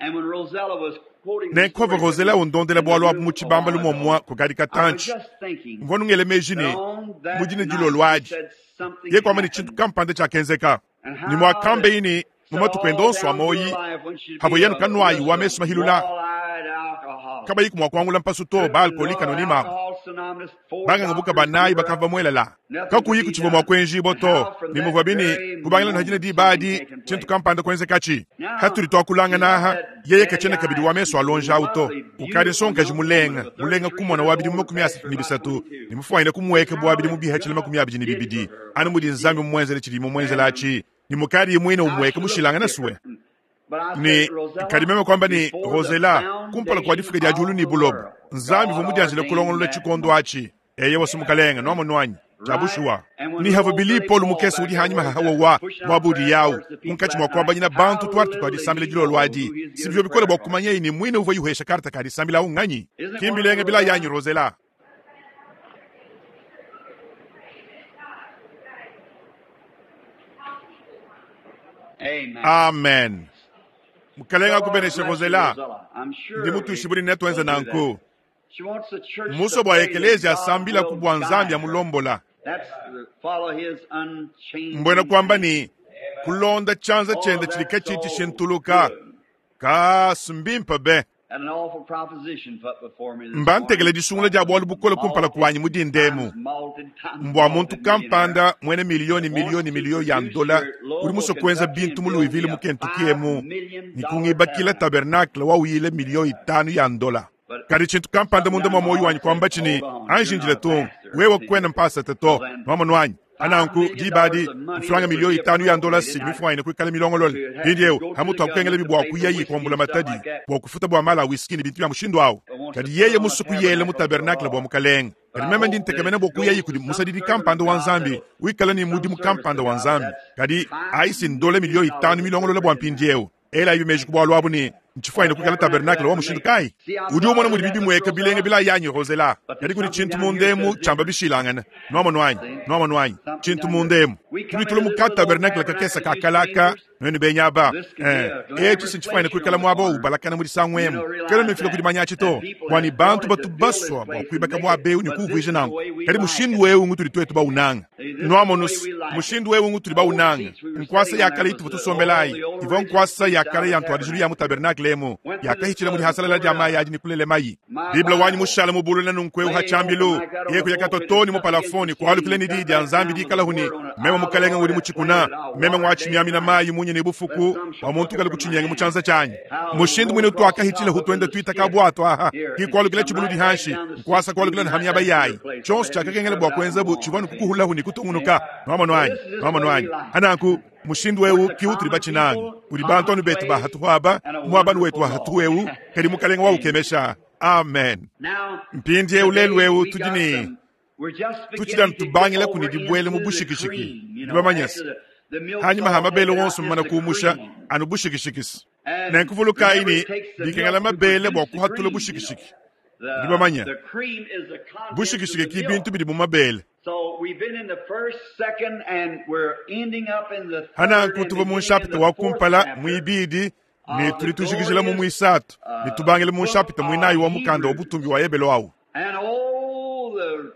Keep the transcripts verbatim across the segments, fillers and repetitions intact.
Nzambi. Nenku pavua Rosella undondela bualu abu mu tshibambalu muomumue kukadi katantshi, mvua nungele meji ne, mu dine dilolo adi, yeye kuamba ne tshintu kampanda tshiakenzeka, ne muakambeyi ne, mu matuku ende onso a muoyi, pavua yenu kanuayi wa mesu mahilula, kabayiku mua kuangula mpasu to ba alcoolique anonyme abu. Banganga banayi bakava muelela kakuyi kutshivua mua kuenjibua to ne muvua bine kubangila na dina diba adi tshintu kampanda kuenzekatshi hatudi tuakulangana aha yeye katshiena kabidi wa mesu alonja awu to ukadi nsonkaji mulenga mulenga kumona wa bidimu makumi asatu ne bisatu ne mufuanyine kumuweka bua bidimu bihatshile makumi abidi ne bibidi anu mudi Nzambi mumuenzele tshidi mumuenzela atshi ne mukadi muine umuweka mushilangana suwe ne kadi meme kwamba ni Rosella kumpala kwa difuka dia diulu ni bulobo Nzambi uvua mudianjile kulongolola tshikondo atshi eye wasumukalenga noamonwanyi jabushuwa ni hava bili Paul mukese udi hanyuma hahawawa mwabudi yawu munkatshi mwa kwabanyina bantu twatu twadisambila dilolo adi sibyo bikola bwa kumanya ni mwine uva yuhesha karta kadisambila awu nganyi kimbilenge bila yanyi Rosella. Amen. Amen. Mukalenga kubenesha Rosella I'm sure ndi mutushibuli netwenza nanku She wants the church muso to bwa pray that ekelezia God asambila will kubwa Nzambi guide her. amulombola That's the, follow his unchanging mbwena kwamba hand. ni kulonda chanza Oh, chenda chilika that's chiti so shintuluka good. kasumbimpa be And an awful proposition put before me this mbantekele morning. disungula dia bwalu bukola kumpala kwanyi mudindemu Times malted, times mbwa muntu malted millionaire. kampanda mwene miliyoni miliyoni miliyo ya ndola uli muso kwenza bintu mu Louisville mu Kentucky emu nikungibakila tabernacle wawuyile miliyo itanu ya ndola kadi tshintu kampanda munda mwa moyo wanyi kwamba tshini anjinjile tungu wewe kwena mpasa to nwamonwanyi ananku dibadi mfulanga miliyo itanu ya ndola si mifuanyine kuikala milongolole mpindiewu hamutu akukengela bibwa kuyayi kuambula matadi bwa kufuta bwa mala a whisky ni bintu bya mushindu awu kadi yeye musu kuyela mu tabernacle bwa mukalenga kadi meme ndi ntekemena bwa kuyayi kudi musadidi kampanda wa Nzambi wikala ni mudimu kampanda wa Nzambi kadi aisi ndole miliyo itanu milongolole bwa mpindiewu ela ibi meji kubwa lwabu ni nchifuanyine kuikala tabernacle wa mushindu kai udi umona mudi bibi mweka bilenge bila yanyi Rosella kadi kudi tshintu mundemu chamba bishilangana nwamonwanyi nwamonwanyi tshintu mundemu tudi tula muka tabernacle kakesa kakalaka nwenu benyaba eh etshi sinchifuanyine kuikala mwaba ubalakana mudi sangwemu kelo nifika kudi manyachi to kwani bantu batu baswa bwa kuibaka mwabeu ni kuuvwija nangu kadi mushindu wewu ngutuli twetu baunanga nwamonusi mushindu wewu ngutuli baunanga nkwasa yakala ituvu tusombelayi ivo nkwasa yakala ya ntwadijilu ya mu tabernacle emu yakahichila mudi hasalala dia mayi adi nikulele mayi biblia wanyi mushala mubulula nunkweu hachambilu yeku yakatotoni mu palafoni kwalukile ni didi ya Nzambi dikala huni meme mukalenga ngudi muchikuna meme ngwachimyamina mayi munye ni bufuku wa muntu kali kuchinyenga muchanza chanyi mushindu mwine twakahichila hutwenda twita kabwato aha kikwalukile chibulu dihanshi nkwasa kwalukile na hamyaba yayi chonso chakakengela bwa kwenza bu chivanu kukuhula huni kutungunuka nwamonwanyi nwamonwanyi ananku mushindu wewu kiutuli bachinanga uli bantu anu betu bahatuhaba mwabanu wetu wahatuwewu kadi mukalenga waukemesha amen Now, mpindiewu lelu today wewu we tudi got ni some- we're just tuchila beginning to get ntubangila over kuni dibwele mu into the bushikishiki cream, you know, ndibamanyasi after the, the milk's hanyuma all hamabele taken out, wonso just mmana the kuumusha cream. anu bushikishikisi And nenkuvulukayi remember, ni it takes the dikengela milk to mabele bwa produce the kuhatula cream, you know. bushikishiki The, ndibamanya the cream is the contents of bushikishiki the ki milk. bintu bidi mu mabele So we've been in the first, second, and we're ending up in the third hananku and tuva mu beginning in nshapita the wa fourth kumpala chapter mwibidi ni of the tuli tujikijila mu glorious mwisatu ni uh, tubangile mu book nshapita mwinayi of wa mukanda wa Hebrews. butumbi wa ebelo awu And all the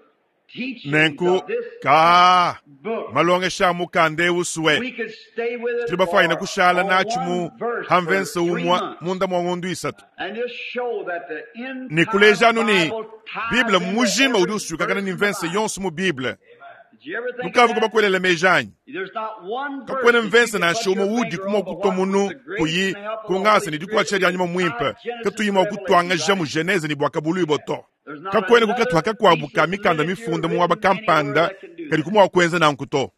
teachings nenku of this ka book, malongesha mukanda ewu suwe we could stay with it tuli bafuanyine for kushala on nachi mu one verse for hamvense three umwa months munda mwa ng'ondu isatu and just show that the ni entire kulejanu ni Bible ties biblia into mujima udi every usukakana verse ni in the mvense Bible. yonso mu biblia Did you ever think of mukavu that? kubakwelele mejanyi There's not one verse kakwene that you mvense can nansha put umwe your udi finger kumwa on but kutwa what with munu the grace kuyi and the help of the kungasa Holy ni Spirit dikwatsha the lya nyuma mwimpe entire Genesis katuyima to Revelation kutwangaja is mu right. geneze ni bwakabulu iboto There's not kakwene another kukatwa kakwabu piece ka of mikanda literature mifunda mu waba written anywhere kampanda that can do kadi that. kumwa kwenza nankuto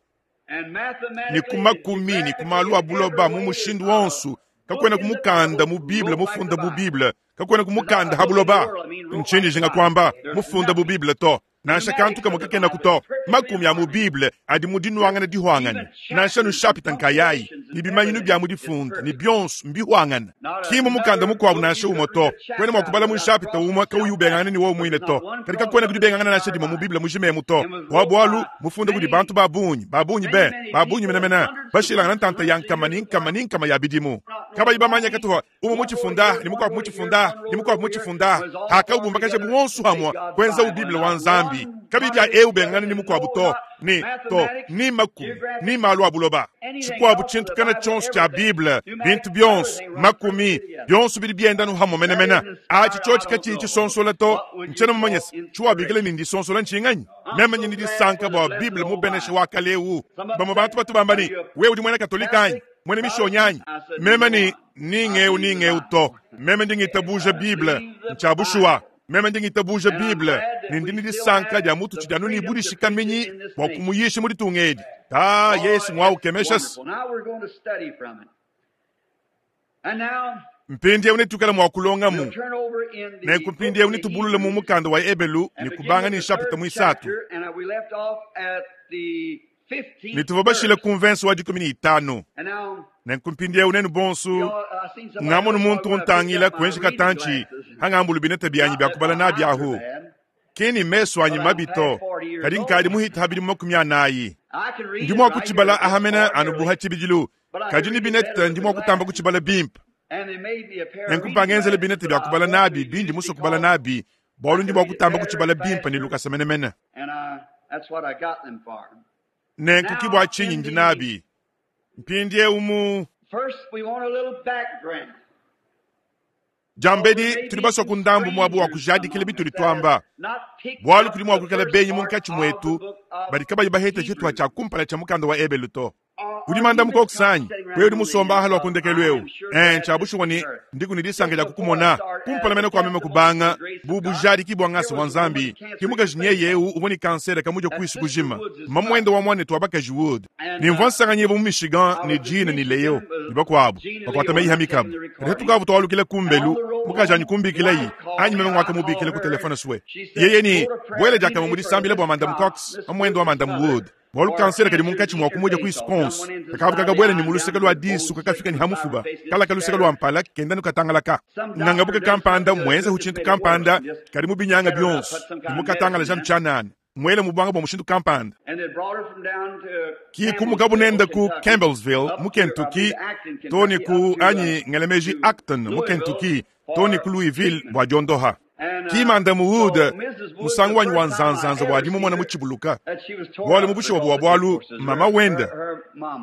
And ni mathematically and kumakumi ni geographically kumalu and every abuloba mu way, there's mushindu not a wonsu book kakwena in the kumukanda Bible mu biblia wrote like mufunda the mu Bible. biblia kakwena There's not kumukanda a book in the habuloba world, I mean, wrote nchini like the jinga Bible. kwamba There's mufunda bu nothing. biblia to nansha kantu Pneumatics kamwe of the kakena Bible kuto is perfectly makumi a mu harmony. biblia adi mu dinwangana dihwangana Even nansha chapters and nushapita nkayayi punctuations ni and bimanyinu bya everything mu is difunda ni perfect. byonso mbihwangana Not kimu mukanda another mukwabu book nansha you umwe could to read a kwene chapter out mwakubala mu without nshapita crossing umwe kauyi yourself ubengangana out. ni wo But mwine there's to not one kadi cross kakwena up kudi in the bengangana nansha entire dima mu Bible. biblia mujimemu to And was wrote wabwalu by mufunda kudi many, bantu babunyi babunyi many, be many babunyi people menemene hundreds of bashilangana hundreds and ntanta ya hundreds of nkama years ni nkama apart. ni nkama ya bidimu Not Kabayi bamanya katuha umwe muchifunda ni mukwabu muchifunda ni mukwabu muchifunda hakabumbakaje buwonso hamwa kwenza ubiblia wa nzambi kabibya eu bengana ni mukwabu to ni to ni makumi ni malu abuloba chikwabu chintu kana chonso cha biblia bintu byonso makumi byonso bili byenda no hamwe menemena achi chochi kachi chisonsola to nchena mumanyesa chiwabikile ni ndisonsola nchinganyi memanye ni disanka bwa biblia mubeneshe wakaleu bamwe bantu batu bambani wewe udi mwena katolika anyi mwene mishonyanyi meme ni ningeu ningeu to meme ndingitabuja biblia nchabushuwa meme ndingitabuja biblia nindini disanka dia mutu chidianu nibudishikamenyi bwa kumuyisha muri tungedi ta yesu mwaukemeshasi mpindi eu netukala mwa kulongamu nenku mpindi eu nitubulule mu mukanda wa ebelu nikubanga ni nshapita mwisatu nituva bashile kumvenso wa dikumi ni itanu nenku mpindi eu nenu bonsu ngamonu muntu untangila kuenji katanchi hangambulu binete byanyi byakubala nabyahu kini meso anyi mabito kadi nkadi muhita habili makumi anayi ndi mwa kuchibala ahamena anubuha chibijilu kadi ni binete ndi mwa kutamba kuchibala bimpa nenku mpangenzele binete byakubala nabi bindi muso kubala nabi bwalu ndi mwa kutamba kuchibala bimpa ni lukasa menemene nenku kibwa chinyi ndi nabi mpindi eumu jambedi tuli baswa kundambu mwabu wa kujadikile bituli twamba bwalu kuli mwa kukala benyi munkachi mwetu bali kabayi bahete chitwa cha kumpala cha mukanda wa ebelu to udi manda mukokusanyi wewe udi musomba ahali wakundekelweu eh nchabushuwa ni ndiku nidisanga lya kukumona kumpala mene kwa meme kubanga bubujadiki bwa ngasa wa nzambi kimukaji nyeyeu uboni kansere kamuja kuisu kujima mamwendo wa mwane twabakaji wood nimvwa nsanganyebo mu Michigan ni Jean ni Leo ni bakwabo bakwata meiha mikabu kati tukavu twalukile kumbelu mukaji anyi kumbikileyi anyi meme mwaka mubikile ku telefone suwe yeye ni bwele jakama mudisambile bwa Madam Cox mamwendo wa Madam Wood bwalu kansere kadi munkachi mwa kumuja ku Wisconsin kakavu kakabwele ni muluseka lwa disu kakafika ni hamufuba kala kaluseka lwa mpala kenda nukatangalaka ngangabuka kampanda mwenze huchintu kampanda kadi mubinyanga byonso ni mukatangala jam chanana mwele mubwanga bwa mushindu kampanda kikumuka bunenda ku Campbellsville mu Kentucky toni ku anyi ngelemeji Acton mu Kentucky toni ku Louisville bwa jondoha kimanda muwude musangu wanyi wa nzanzanza bwadi mumona muchibuluka bwalu mubushiwa bwa bwalu mama wenda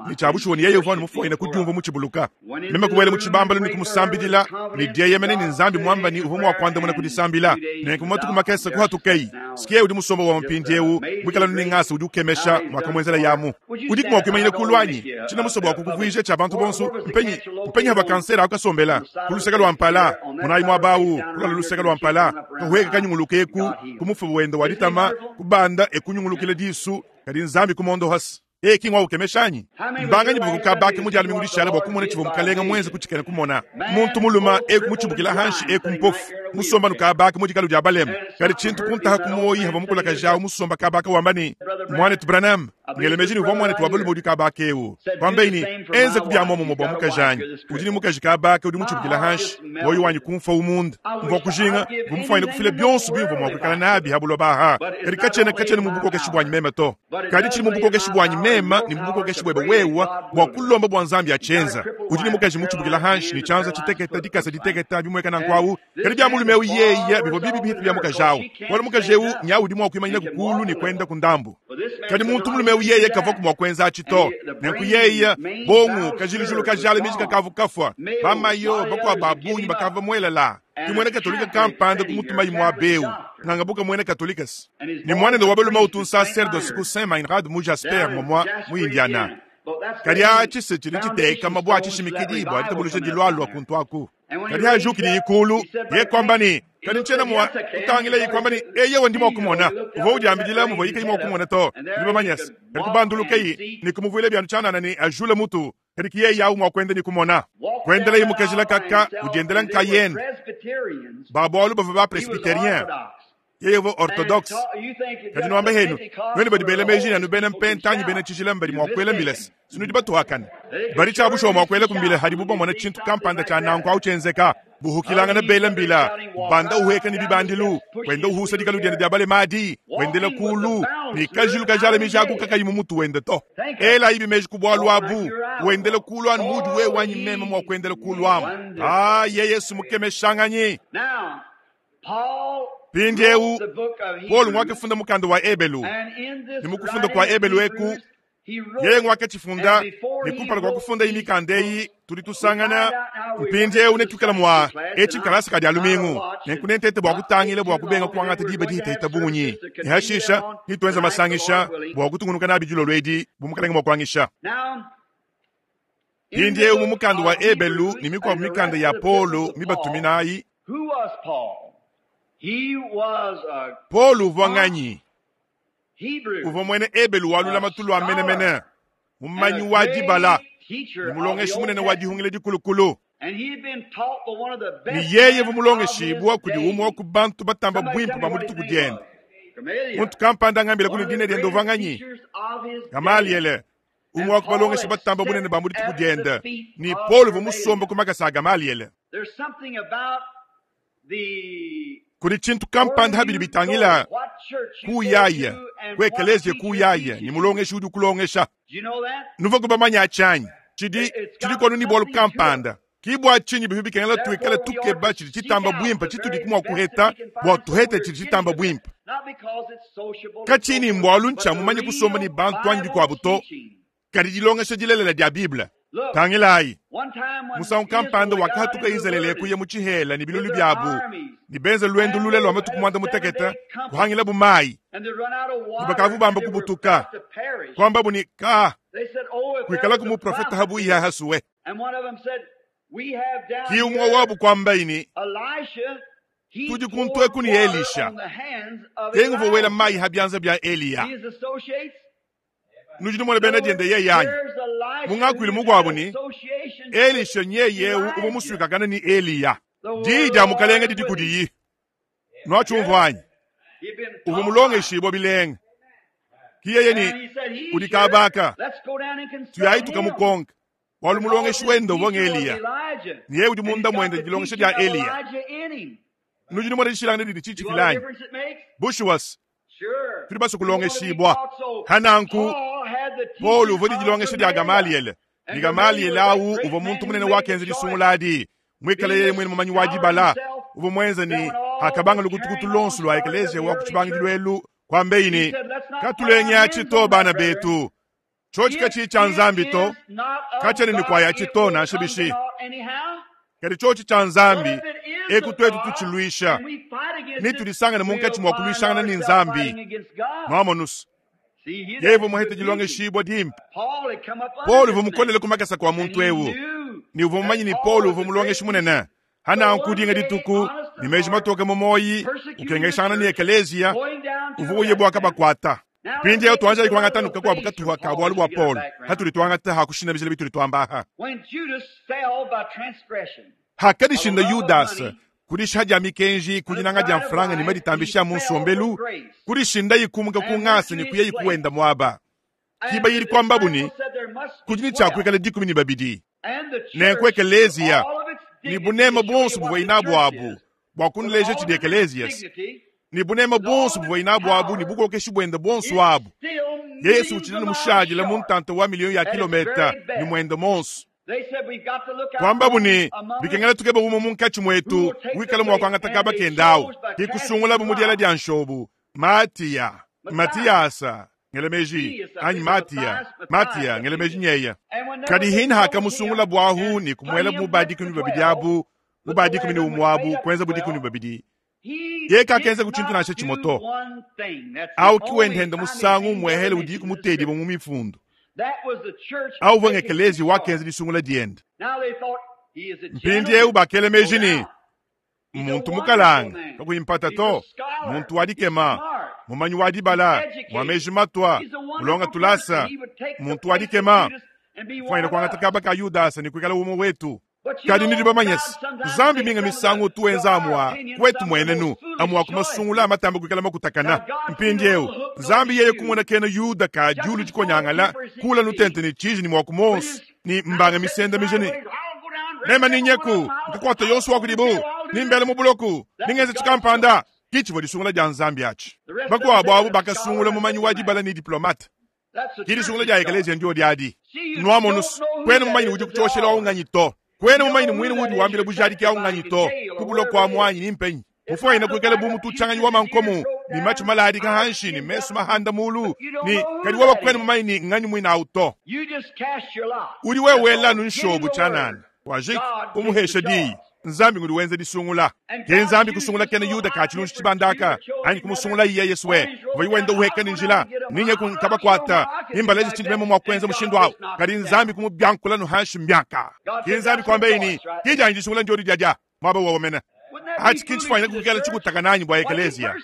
ni chabushiwa ni yeye uvanu mufoina kudyumva muchibuluka meme kubwele muchibambalo ni kumusambidila ni dieyemene ni nzambi mwamba ni uvumu wa kwanda muna kudisambila nenku matuku makesa kuhatukeyi sikie udi musomba wa mpindi eu mwikala ni ngasa udi ukemesha mwakamwenzela yamu udi kumwa kuimanyile kulwanyi china musobo wa kukuvwije cha bantu bonso mpenyi mpenyi haba kansera akasombela kuluseka lwa mpala munayi mwabawu kulala luseka lwa mpala kahueka kanyungulukeku kumufubu wenda walitama kubanda ekunyungulukile disu kadi nzambi kumondo hasi eki ngwa ukemeshanyi mbanganyi bukukabaki mudyalo mingudishala bwa kumona chivo mukalenga mwenze kuchikene kumona muntu muluma eku muchibukila hanshi eku mpofu musomba nukabaki mudikalo dya balema kadi chintu kuntaha kumoyi hava mukulaka jawu musomba kabaka wambani mwanetu Branham ngelemeji ni uvwa mwanetu wabalume udi kabaka ewu kwambeini enze kubyamomomo bwa mukajanyi udi ni mukaji kabaka udi muchibukila hanshi woyi wanyi kumfa umunda mvwa kujinga vumufaine kufile byonso bimvwa mwakukala nabi habulobaha kadi kachene kachene mubukokeshi bwanyi meme to kadi chili mubukokeshi bwanyi meme ni mubukokeshi bwebe wewa bwa kulomba bwa nzambi achenza udi ni mukaji muchibukila hanshi ni chanza chiteketa dikasa diteketa bimweka na nkwawu kadi bya mulume eu yeye bivwa bibi bihitu bya mukajawu wala mukaji eu nyawu udi mwakuimanyina kukulu ni kwenda kundambu kadi muntu mulume eu yeye kava kumwa kwenza achito nenku yeye bongu kajilijulu kajala miji kakavu kafwa bamayo bakwa babunyi bakava mwelela kimwene katolika kampanda kumutumayi mwa beu ngangabuka mwene katolikas ni mwanendo wabaluma utu sacerdoce ku Saint Meinrad mu Jasper momwa mu Indiana kadi achi chili chiteka mabwa achishimikidi bwa litabuluja dilwalwa kuntwaku kadi hajukili ikulu ye kwambani kadi nchena mwa kutangila yikwambani eyewe ndimo kumona uvo udyambidila muvo yika yimo kumona to ndibamanyasa kadi kubandulukeyi nikumuvwile byanu chanana ni ajule mutu kadi kiye yawu mwakwenda nikumona kwendela yimukajila kaka udyendela nkayene babwalu bava ba presbyterien yeye vo orthodoxe kadi nwamba henu nwene badi bela meji nanu bena mpentanyi bena chijila mbadi mwakwela mbilesi sinudi batuhakana bali chabushuwa mwakwela kumbila hadi buba mwana chintu kampanda cha nanku au chenzeka Buhukilangana bela mbila banda uheka ni bibandilu wenda uhusa dikalu diende dia balemadi wendela kulu ni kajilu kajala mijaku kakayi mumutu wende to ela ibi meji kubwalu abu wendela kulu anu mudi we wanyi mema mwa kuendela kulu amu ah ye Yesu mukemeshanganyi pindiewu Paul ngwakafunda mukanda wa Ebelu ni mukufunda kwa Ebelu eku yeye ngwakachifunda ni kumpala kwa kufunda imikanda eyi tuli tusangana mpindiewu netukala mwa eci nkalasa kadi alumingu nenkunentete bua kutangila bua kubenga kuangata diba dihitahita bunyi nihashisha nituenza masangisha bua kutungunuka nabi dilolo edi bumukalenga mua kuangisha mpindiewu mu mukanda wa Ebelu ni mikuabu mikanda ya Paulo mibatuminayi. Paulo uvua nganyi? Uvua mwene Ebelu walula matulu a menemene mumanyi wa dibala ni mulongeshi munene wa dihungile dikulukulu ni yeye vumulongeshibwa kudi umwe wa ku bantu batamba bwimpe ba mu dituku diende muntu kampanda ngambila kuni dine diende uvua nganyi Gamaliele umwe wa ku balongeshi batamba bunene ba mu dituku diende ni Paulo vumusomba ku makasa a Gamaliele. Kuli tshintu kampanda habili bitangila kuyaya ku ekelezia kuyaya ni mulongeshi udi kulongesha nuva kubamanya achanyi chidi chidi kwanu ni bwalu kampanda kibwa chinyi bihu bikengela tuikala tukeba chidi chitamba bwimpa chitudi kumwa kuheta bwa tuhete chidi chitamba bwimpa kachini mbwalu ncha mumanye kusomba ni bantu anyi bikwabu to kadi dilongesha dilelela dia Biblia tangilayi musangu kampanda wakahatuka Izalele kuya mu tshihela ni bilulu byabu ni benze lwendo lule lwa matuku mwanda mutekete kuhangila bumayi ni bakavu bamba kubutuka kwamba buni ka kuikala ku muprofeta habu iya hasuwe kiumwa wabu kwamba ini tudi kuntwe kuni Elisha tengu vowela mayi habyanza bya Eliya nujini mwele bena diende ye yanyi mungakwile mugwabu ni Elisha nyeyewu uba muswikakana ni Eliya diyi dia mukalenga didi kudiyi nwachumvwanyi uva mulongeshibwa bilenga kiyeye ni udi kabaka tuyayi tukamukonka walu mulongeshi wende uvonga Eliya niye udi munda mwende dilongesha dia Eliya nujini mwele dishilangana didi chichikilanyi bushuwas tuli baso kulongeshibwa hananku Paul uvua dilongesha dia Gamaliele ni Gamaliele awu uvua muntu munene wakenza disunguladi mwikale yeye mwene mumanyi wa dibala uvua mwenza ni hakabanga lukutukutu lonso lwa ekelezia wa kuchibangidilo elu kwambeini katulenya chito bana betu chochi kachi cha nzambi to kachene ni kwaya chito na shibishi kadi chochi cha nzambi ekutwetu tuchilwisha nitulisangana munkachi mwa kulwishangana ni nzambi mwamonusu yevo muhete dilongeshibwa dimpe Paul uvu mukolele kumakasa kwa muntu ewu ni uvu mumanyi ni Paul uvu mulongeshi munene hana nkudinga dituku ni meji matoke mumoyi ukengeshangana ni ekelezia uvu uye bwaka bakwata pindi eyo twanja ikwangata nuka kwabu katuha ka bwalu bwa Paul hatuli twangata hakushina bijele bituli twambaha hakadishinda Yudas kudisha dia mikenji kudinanga dia mfranga ni maditambisha munsombelu kudishinda yikumuka kungasa ni kuye yikuwenda mwaba kiba yili kwamba buni kudini chakwikala dikumi ni babidi nenku ekelezia ni bunema bonso buvua inabu abu bua kunuleja tshidi ekelezia ni bunema bonso buvua inabu abu ni bukokeshi bwenda bonso abu Yesu utshina mushadila muntanta wa miliyoni ya kilometa ni mwenda monso kwamba buni bikengela tukeba umo munkachi mwetu wikala mwakwangata kaba kendawu kikusungula bumudiala dia nshobu Matiya Matiyasa ngelemeji anyi Matiya Matiya ngelemeji nyeya kadi hina hakamusungula bwahu ni kumwela mubadi kumi babidi abu mubadi kumi ni umwabu kwenza budi kumi babidi ye kakenza kuchintu nashe chimoto au kiwendenda musangu mwehele udi kumutedi mu mifundu au vanga ekelezi wakenza disungula diende mpindi eu bakele mejini muntu mukalanga kakuyimpata to muntu wadikema mumanyi wa dibala mwameji matwa mulonga tulasa muntu wadikema fwaina kwangata kaba ka Yudasa ni kuikala umo wetu kadi nidi bamanyesi zambi minga misangu tuwenza amwa kwetu mwenenu amwa kumasungula amatamba kuikala makutakana mpindi eu zambi yeye kumona kena Yuda ka julu chikonyangala kula nutente ni chiji ni mwa kumonsu ni mbanga misenda mijini Meme ninyeku nkakwata yonso wa kudibu nimbele mu buloku ningenza tshikampanda kichivua disungula dia nzambi atshi bakuabu abu bakasungula mumanyi wa dibala ni diplomate ki disungula dia ekelezia ndio diadi nwamonusu kwene mumanyi udi kuchoshela waunganyi to kwene mumanyi mwini udi wambila bujadiki aunganyi to kubuloku amwanyi nimpenyi mufuaina kuikala bu mutu uchanganyi wa mankomu ni macho maladi kahanshi ni mesu mahanda mulu ni kadi wawa kwene mumanyi ni nganyi mwina auto udi wewela nunshobu chanana wajik umuhesha diyi nzambi ngudi wenza disungula ke nzambi kusungula kene yuda kachilunshi chibandaka anyi kumusungula iye yesu we vayi wenda uheka ni njila ninye kunkabakwata nimbaleje chindi memo mwa kwenza mushindu awo kadi nzambi kumubyankula nuhanshi mbyaka ke nzambi kwambeini kijanyi disungula njodi jaja mwaba wawomena achi kinchifanyira kukela chikutaka nanyi bwa ekelezia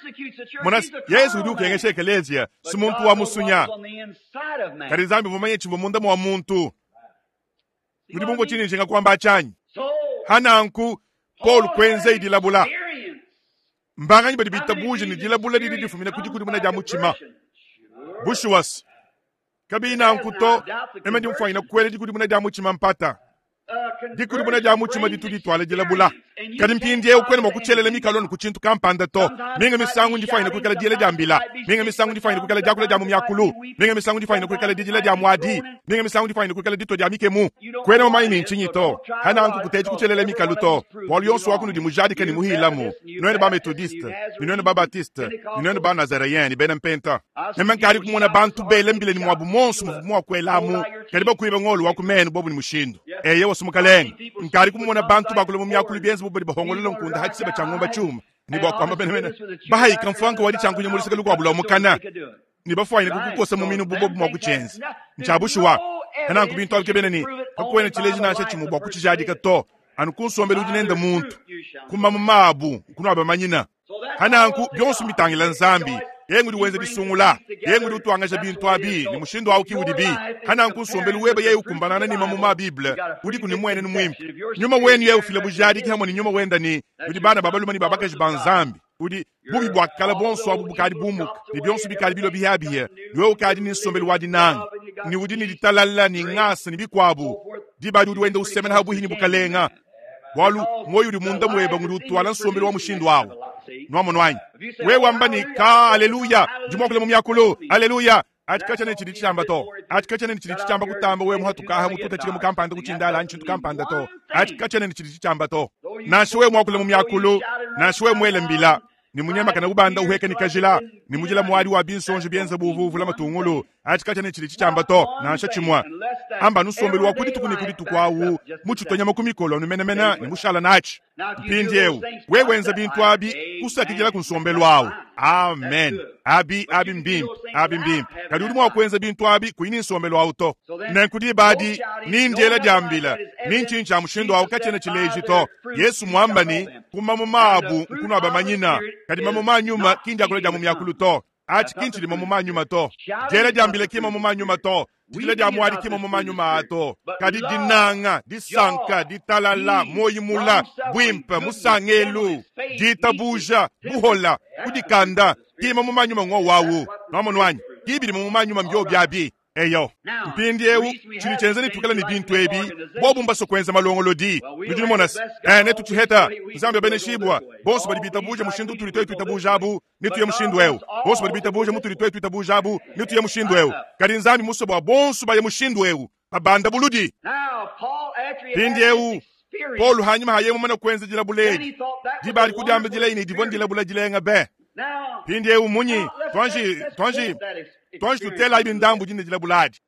mona yesu udi ukengesha ekelezia si muntu wa musunya kadi nzambi mumanye chimbo munda mwa muntu mudi mumbo chini njinga kwamba achanyi hananku paul kwenze idilabula mbanganyi badi bitabuje ni dilabula didi difumina kudi kudi muna dia muchima bushuwas kabi nanku to eme dimfanyina kwele dikudi muna dia muchima mpata dikudi muna dia muchima ditu ditwala dilabula kadi mpindi eu kwene mwakuchelela mikaloni kuchintu kampanda to minga misangu ndifanyina kuikala diele dia mbila minga misangu ndifanyina kuikala diakula dia mumyakulu minga misangu ndifanyina kuikala didila dia mwadi minga misangu ndifanyina kuikala dito dia mikemu kwene mumanyi ni nchinyi to hananku kuteji kuchelela mikalu to bwalu yonso wakunu di mujadika ni muhilamu nwene ba metodiste ni nwene ba batiste ni nwene ba nazareyen ni bena mpenta meme nkali kumona bantu bele mbile ni mwabu monso muvu mwakwelamu kadi bakuiba ng'olu wakumene bobu ni mushindu eye wasumukalenga nkali kumona bantu bakula mumyakulu byenzi bubadi bahongolola nkunda hachiseba cha ng'omba chuma ni bwakwamba benemene bahayika mfanka wali chankunya mulisaka lukwabula omukana ni bafwanyine kukukosa muminu bubobu mwakuchenza nchabushuwa hananku bintu abike beneni kakuwene chileji nasha chimu bwakuchijadika to anu kunsombela udi nenda muntu kuma mumabu kuno abamanyina hananku byonso mbitangila nzambi yengu diwenza disungula yengu diutwangasha bintu abi ni mushindu awu kiwudi bi hananku nsombelu weba yeye ukumbanana ni mamuma bible udi kuni mwene ni mwimpe nyuma wenu yeye ufila bujadiki hamwe ni nyuma wenda ni udi bana babaluma ni babakaji ba nzambi udi bubi bwakala bonso abu bukadi bumuka ni byonso bikali bilo bihabihe niwe ukadi ni nsombelu wa dinanga ni udi ni ditalala ni ngasa ni bikwabu dibadi udi wenda usemena habuhi ni bukalenga bwalu moyo udi munda mweba ngudi utwala nsombelu wa mushindu awu nwamono wanyi wewe ni ka aleluya jimwakule mumyakulu aleluya achikachane chili chichamba to achikachane chili chichamba kutamba we muhatukaha mututa chile mukampanda kuchindala nchintu kampanda to achikachane chili chichamba to nashe we mwakule mumyakulu nashe we mwele mbila ni munyama kana ubanda uheke ni kajila ni mujila mwali wa binsonje byenza buvuvu la matungulu achikachane chili chichamba to nashe chimwa amba nusombelu wa kuditu kuni kuditu kwawu muchitonyama kumikolo numenemena ni mushala nachi mpindi eu wewenza bintu abi kusakijila kunsombelu awu amen abi abi mbimbi abi mbimbi kadi udi mwakwenza bintu abi kuini nsombelu awu to nenkudi badi nindyela dyambila ninchincha mushindu awu kachene chileji to yesu mwamba ni kuma mumabu nkunu abamanyina kadi mamuma nyuma kindi akula dya mumyakulu to achi kinchi lima mumanyuma to dyela dyambila kima mumanyuma to dikila dya mwadi kima mumanyuma ato kadi dinanga disanka ditalala moyimula bwimpe musangelu ditabuja buhola kudikanda kima mumanyuma ng'o wawu nomonwanyi kibili mumanyuma mbyo byabi eyo mpindi eu chili chenze nitukala ni bintu ebi bobu mbaso kwenza malongolodi nudi numonasi eh netuchiheta nzambi abeneshibwa bonso badi bitabuja mushindu tuli twetu itabuja abu nituye mushindu eu bonso badi bitabuja mutuli twetu itabuja abu nituye mushindu eu kadi nzambi muso bwa bonso baye mushindu eu babanda buludi pindi eu Paulo hanyuma hayemo mana kwenza dilabuledi dibali kudiamba dilaini divon dilabula dilenga be pindi eu munyi twanji twanji twanji tutela ibi ndambu dine dilabuladi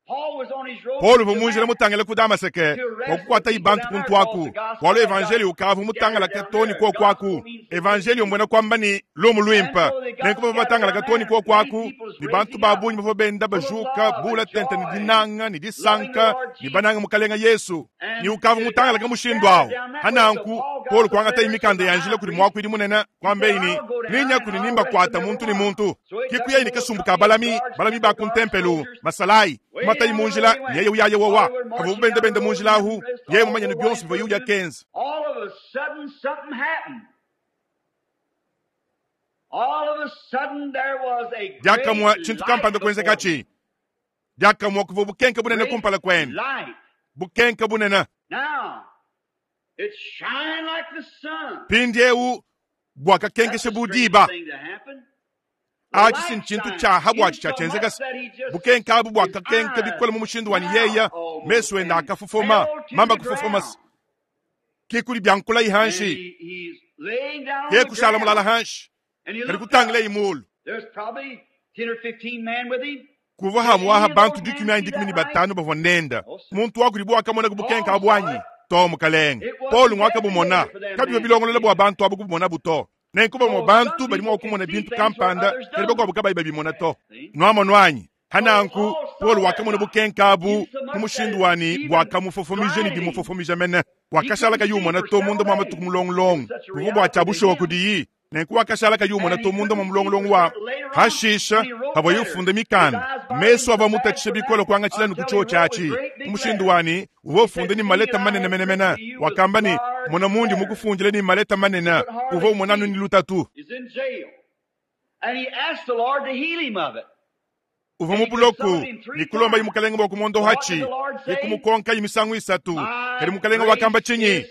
Paulo vumunjila mutangela ku Damaseke wakukwata ibantu kuntwaku walo evangeli ukavu mutangala katoni ko kwaku evangeli mbwena kwamba ni lumu lwimpa nenkuba batangala katoni ko kwaku ni bantu babunyi bavo benda bajuka bula tente ni dinanga ni disanka ni bananga mukalenga Yesu ni ukavu mutangala kamushindu awo hananku Paulo kwangata imikanda yanjila kuli mwakwidi munene kwambeini ninya kuli nimba kwata muntu ni muntu kikuya ini kasumbuka balami balami bakuntempelu masalai matayi munjila yeye uyaye wowa abo bende bende munjila ahu yeye mumanya ni byonso biva yuya kenza All of a sudden something happened. All of a sudden there was a great dyakamwa chintu light kampanda before kwenzekachi dyakamwa kuva bukenke bunene Great kumpala kwene light. bukenke bunene Now, Mpindieu buakakenkesha bu diba. Atshi si ntshintu tshiaha buatshi tshiatshienzeka bukenka abu buakakenka bikole mu mushindu wa yeya mesu enda akafofoma mamba kufofoma ke kuli byankula ihanshi ke kushala mulala hanshi kadi kutangila imulu kuva hamwaha bantu dikumi anyi dikumi ni batanu bavua nenda muntu wakudi bwakamona kubukenka abwanyi to mukalenge Paul ngwakabumona kabiba bilongolola bwa bantu abo kubumona buto nenkuba mo bantu bali mwa kumona bintu kampanda kadi bakuabu kabayi babimona to nwamo nwanyi hananku Paul wakamona bukenka abu mu mushindu wani bwakamufofomije ni dimufofomije mene wakashala kayumona to munda mwa matuku mulongolongo buvua bwa bushowa kudiyi nenku wakashala kayumona to munda mwa mulongolongo wa hashisha havua yufunda mikanda mesu ava mutatshisha bikola kuangatshila ni kutsho tshiatshi mu mushindu wani uvua ufunda ni maleta manene menemene wakamba ni mona mundi mukufundile ni maleta manene uvua umonanu ni lutatu uvua mubuloku ni kulomba imukalenga bwa kumondo hachi ikumukonka imisangu isatu kadi mukalenga wakamba chinyi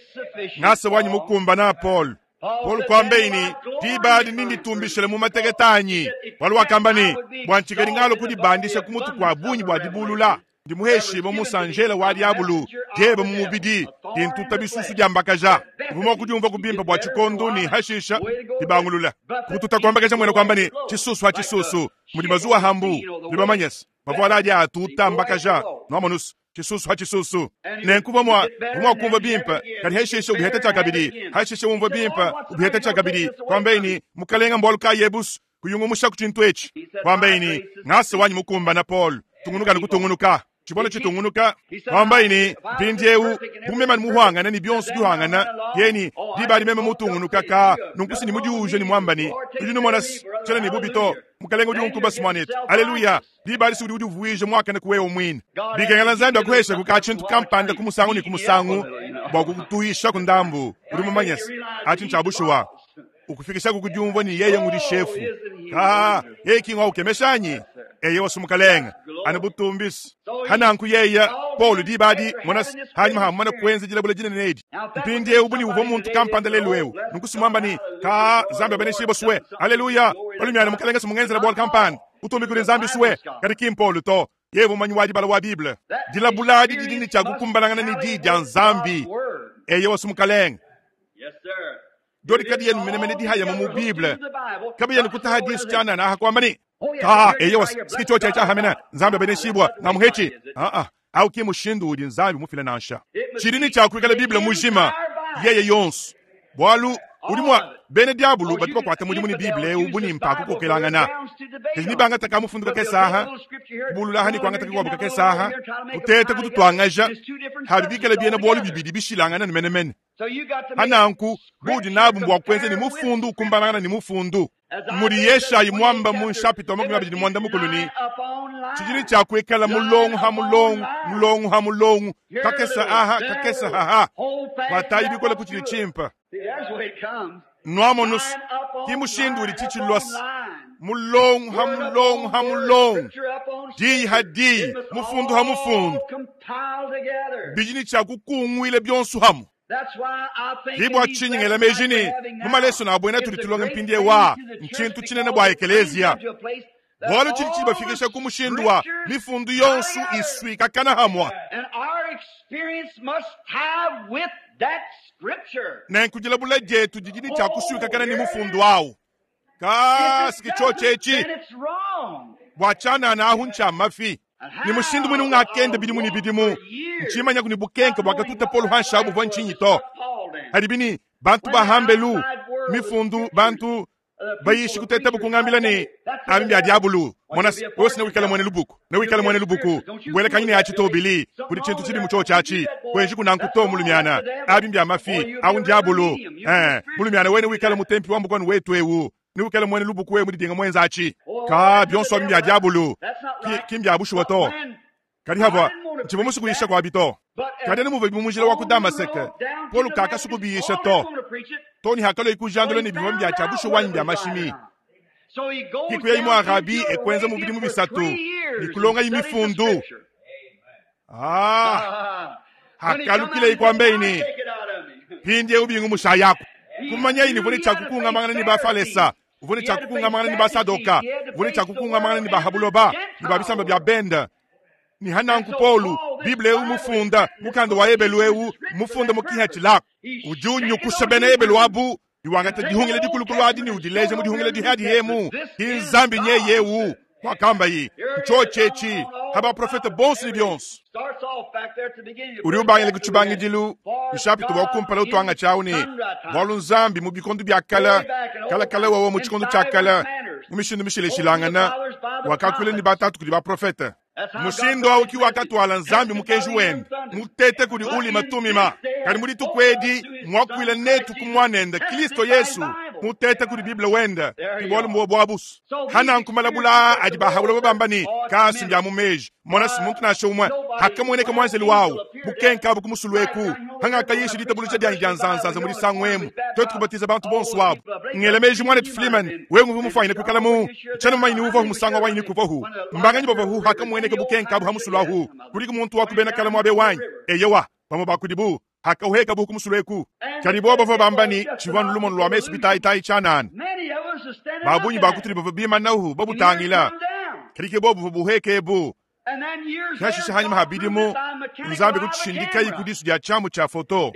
ngasa wanyi mukumba na Paul Paul kwambeini dibadi ninditumbishile mu mateketanyi wali wakamba ni bwanchikeli ngalo kudibandisha kumutu kwa bunyi bwa dibulula ndimuheshima musanjela wa diabulu diebe mu mubidi dintuta bisusu dyambakaja uvuma kudiumva kubimpa bwa chikondo ni hashisha dibangulula kututa kwambakaja mwene kwamba ni chisusu ha chisusu mudi mazuwa hambu ndibamanyesa mavuala adi atuta mbakaja nwamonusu chisusu ha chisusu nenkuva mwa vumwa kumva bimpa kadi hashisha ubiheta chakabidi hashisha umva bimpa ubiheta chakabidi kwambeini mukalenga mbwalu ka yebusu kuyungumusha kuchintu echi kwambeini ngasa wanyi mukumba na Paul tungunuka nikutungunuka chibolo chitungunuka kwambaini mpindiewu bumema ni muhwangana ni bionso bihwangana yeni dibali meme mutungunuka ka nunkusi ni mudiuje ni mwambani udi numona tshela ni bubito mukalenga udi unkuba simwanetu aleluya dibali si udi udi uvuije mwakane kuwewe mwine bikengela nzambi akuhesha kuka tshintu kampanda kumusangu ni kumusangu bwa kukutuisha kundambu udi mumanyesa achi nchabushuwa ukufikisha kukudiumvwa ni yeye ngudi shefu ka yeye kingwa ukemeshanyi eye wasumukalenga ana butumbisi hananku yeya Paul dibadi mona hanyuma hamana kuenza jilabula jina nedi mpindi ewu buni uvwa muntu kampanda lelu ewu nukusimwamba ni ka zambi abaneshibo suwe haleluya olumyana mukalenga simungenzela bwal kampanda utumbi kuli nzambi suwe kadi kimpolu to yeye mumanyi wa dibala wa Bible dilabuladi didini cha kukumbanangana ni di dya nzambi eye wasumukalenga dodi kadi yenu menemene dihaya mu Bible kabi yenu kutaha disu chana na hakwamba ni ka eyo sikicho cha cha hamena nzambi abeneshibwa na muhechi a a au ki mushindu udi nzambi mufile nansha chidini cha kuikala Bible mujima yeye yonso bwalu udi mwa bene diabulu batuka kwata mudimu ni Bible ubuni mpaka kukokelangana kadi banga taka mufunduka kesaha bulula hani kwanga taka kwabuka kesaha kuteta kututwangaja habibikala biena bwalu bibidi bishilangana ni menemene hananku budi nabu mbwa kwenze ni mufundu ukumbanangana ni mufundu muli yeshayi mwamba mu nshapito makumi abiri ni mwanda mukulu ni chijini cha kuikala mulongo ha mulongo mulongo ha mulongo kakesa aha kakesa haha kwatayi bikola kuchili chimpa nwamo nusu kimushindu uli chichilosi mulongo ha mulongo ha mulongo diyi ha diyi mufundu ha mufundu bijini cha kukungwile byonsu hamu libwa chinyingela mejini mumaleso na abwena tuli tulonga mpindie wa nchintu chinene bwa ekelezia bwalo chili chibafikisha kumushindu wa mifundu yonsu iswikakana hamwa nenkujila bula jetu jijini cha kuswikakana ni mufundu awu kasiki chochechi bwachanana ahu ncha mafi ni mushindu mwini ungakende bidimu ni bidimu nchimanya kuni bukenke bwakatuta polu hansha buvwa nchinyi to hadibini bantu bahambelu mifundu bantu bayishi kuteta bukungambila ni abi bya diabulu mona wose ne wikala mwene lubuku ne wikala mwene lubuku bwele kanyine yachi tobili kuli chintu chili mucho chachi kwenji kunankuto mulumyana abi bya mafi au diabulu eh mulumyana wene wikala mutempi wambu kwanu wetu ewu ni wikala mwene lubuku we mudidinga mwenzachi ka byonso abi bya diabulu kimbya bushuwa to kadi hava nchivo musukuyisha kwa bito kadi ni muve bimujila wa ku Damaseke Paul kaka sukubiyisha to toni hakalo ikujandolo ni bivombi bya chabushu wanyi bya mashimi kikuya imwe arabi ekwenza mu bidimu bisatu nikulonga imifundu ah hakalukile ikwambeini Mpindiewu bingumusha yaku. Kumanyayi ne uvua ne tshia kukungamangana ne Bafalesa, uvua ne tshia kukungamangana ne Basadoka, uvua ne tshia kukungamangana ne Bahabuloba ne ba bisamba bia benda. Ni hananku Paulo, Bible eu mufunda, mukanda wa Ebelu eu mufunda mu kiha tshilako. Udi unyukusha bena Ebelu abu, iwangata dihungila dikulukulu adi ne udileja mu dihungila dihadi hemu. Ki Nzambi nyeye eu, wakamba yi, ntshotshetshi, haba profeta bonso ne bionso. Udi ubangila ku tshibangidilu, nshapita wa kumpala utwanga tshiawu ne, bualu Nzambi mu bikondo bia kala, kala kala wawa mu tshikondo tshia kala, mu mishindu mishileshilangana, wakakuila ne batatu kudi baprofeta. Mushindo awu ki wakatwala Nzambi mukenji wende, mutete kudi ulima tumima. Kadi mu dituku edi, mwakuila netu ku mwanende, Kristo Yesu, mutete kudi Bible wende, ki bualu mbuwa bua busu. Hananku malabula adi bahaula babamba ne, kasi mbya mu meji, mona si muntu nansha umwe, hakamuoneka mwanzeli wawu, bukenka abu ku musulu eku, hangakayisha ditabuluja dianyi dia nzanzanza mu disangu emu, twetu kubatiza bantu bonso abu. Ngela meji mwanetu Freeman, wewe nguvu mufanyine kuikala mu, tshana mumanyi uvahu musanga wanyi kuvahu. Mbanganyi bavahu hakamuoneka bukenka abu ha musulu ahu, kuliko muntu wa kubena kala mwabe wanyi. Eyewa, bamwe bakudibu, hakauheka buku musulu eku. Kadi bo bavua bamba ni, tshivua nulumono lwa mesu bitayitayi tshianana. Babunyi bakutuli bavua bimanahu, babutangila. Kadi ke bo buvua buheke ebu. Hashisha hanyuma ha bidimu, Nzambi kutshindikayi ku disu dia tshiamu tshia foto.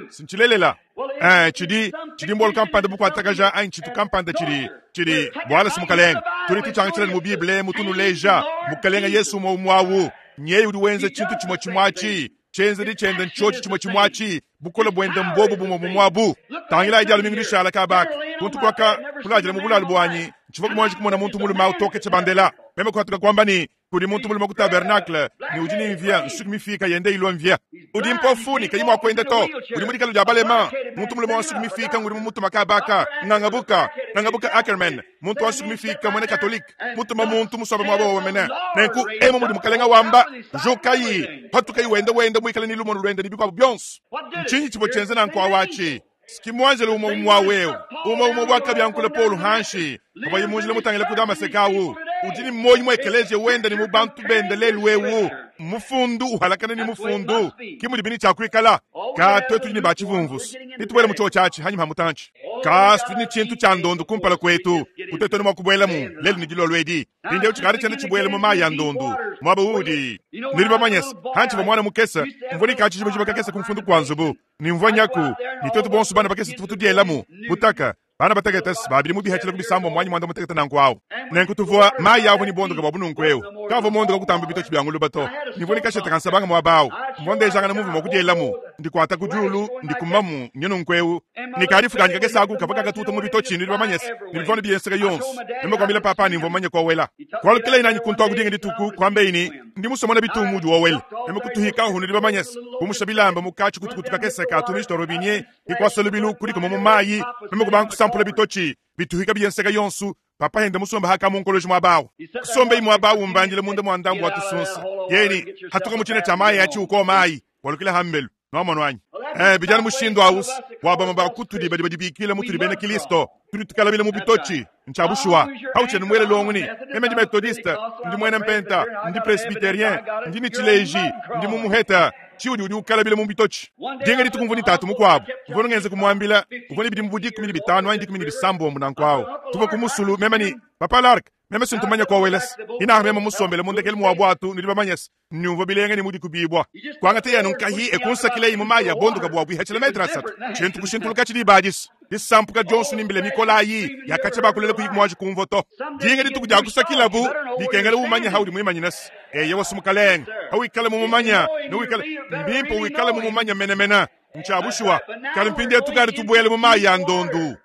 Sintshilelela. Eh, tshidi, tshidi mbolo kampanda bukuatakaja anyi tshitu kampanda tshidi, tshidi bwala si mukalenga. Tudi tutshangitshila mu Bible, mutunuleja, mukalenga Yesu mwa umwawu. Nyeye udi wenza tshintu tshimwe tshimwachi. Tshienzedi tshiende ntshotshi tshimwe tshimwachi. Bukole bwende mbobu bumwe bumwabu. Tangila idi alumingu dishala kabaka. Kuntu kwaka kuladila mu bulalu bwanyi. Ntshivua kumwanji kumona muntu mulume autoke tshibandela. Meme kuhatuka kwamba ni, kudi muntu mulume ku tabernacle, ni udi ni mvia, nsuki mifika yende ilwa mvia. Udi mpofu ni kayi mwa kwenda to. Udi mu dikalo dia balema. Muntu mulume wa nsuki mifika ngudi mu mutuma kabaka. Ngangabuka, ngangabuka Ackerman. Muntu wa nsuki mifika mwene Katolike. Mutuma muntu musombe mwabo wa mene. Nenku emu mudi mukalenga wamba, jukayi, patukayi wende wende mwikale ni lumono lwende ni bikwabo byonso. Ntshinyi tshivua tshienze nanku awachi? Sikimwanjele umwe umwe wewe. Umwe umwe wakabyankula Paul hanshi. Abayi munjile mutangile ku Damasekawu. Udi ni moyi mwe ekeleziya wenda ni mu bantu bende lelu wewu. Mufundu uhalakana ni mufundu. Kimudi bini tshia kuikala. Ka twetu ni bachivumvusu. Nitubwele mu choo chachi hanyuma mutanchi. Ka tudi ni tshintu tshia ndondo kumpala kwetu. Kutetoni mwa kubwelamu lelu ni dilolwedi. Pinde uchikari tshende tshibwele mu mayi ya ndondo. Mwaba udi. Nili bamanyesa. Hanchi ba mwana mukesa. Mvua kachi jiba jiba kakesa kumfundu kwa nzubu. Ni mvua nyaku. Ni twetu bonso bana bakesa tufutu dielamu. Butaka. Bana batekete babili mu bihachila kubisambo mwanyi mwanda mutekete nanku awo. Nenku tuvua mayi awo ni bondoka bwa bununku ewu. Kavo mondoka kutamba bitochi bya nguluba to. Nivua nikasheta kansabanga mwabawo. Mvua ndejanga muvu mwa kudielamu. Ndikwata kujulu, ndikumamu nyenunku ewu. Nikarifu kanyika kesaku kavaka katuta mu bitochi nili bamanyesa. Nilivona biyenseka yonso. Nime kwambila papa ni mvua manye kwa wela. Kwalukila inanyi kuntu akudinga dituku kwambe ini ndi musomona bitungu udi wowela. Nime kutuhika hu nili bamanyesa. Kumusha bilamba mukachi kutukutuka keseka atumishi torobinye. Ikwasa lubilu kuliko mu mayi. Nime kubanku sampula bitochi. Bituhika biyenseka yonsu. Papa henda musomba haka munkoloji mwabawo. Kusomba imwabawo mbanjile munda mwandambu watusunsa. Yeni hatuka muchine cha mayi achi uko mayi. Walukila hambelu. Nomono wanyi. Eh, bijana mushindo awusi. Wabama bakutuli badi badibikila mutuli bena Kristo. Tudi tukalabila mu bitochi. Nchabushwa. Hauche numwele longuni. Meme ndi Methodiste, ndi mwene mpenta, ndi Presbyterien, ndi nichileji, ndi mumuheta. Chiudi udi ukalabila mu bitochi. Dinga ditukumvuni tatu mukwabo. Mvono ngenze kumwambila, mvono bidi mbudi kumi ni bitano, andi kumi ni bisambo munankwao. Tuvo kumusulu meme ni Papa Lark. Meme sintumanya kwa weles. Ina meme musombele mundekele muwabwatu nili bamanyes. Nyumva bilenge ni mudi kubibwa. Kwangate yanu nkahi ekunsakile imu maya bonduka bwa bwihachila metra satu. Chintu kushintuluka chili badis. Disampuka Johnson imbile Mikolayi yakacha bakulele kuyikmwaji kumvoto. Dinga ditukuja kusakila bu dikengele umanya haudi mwimanyines. Eye wasumukaleng. Hawikale mumumanya. Nuwikale mbimpo wikale mumumanya menemena. Nchabushwa. Kalimpinde tukari tubwele mumaya ndondu.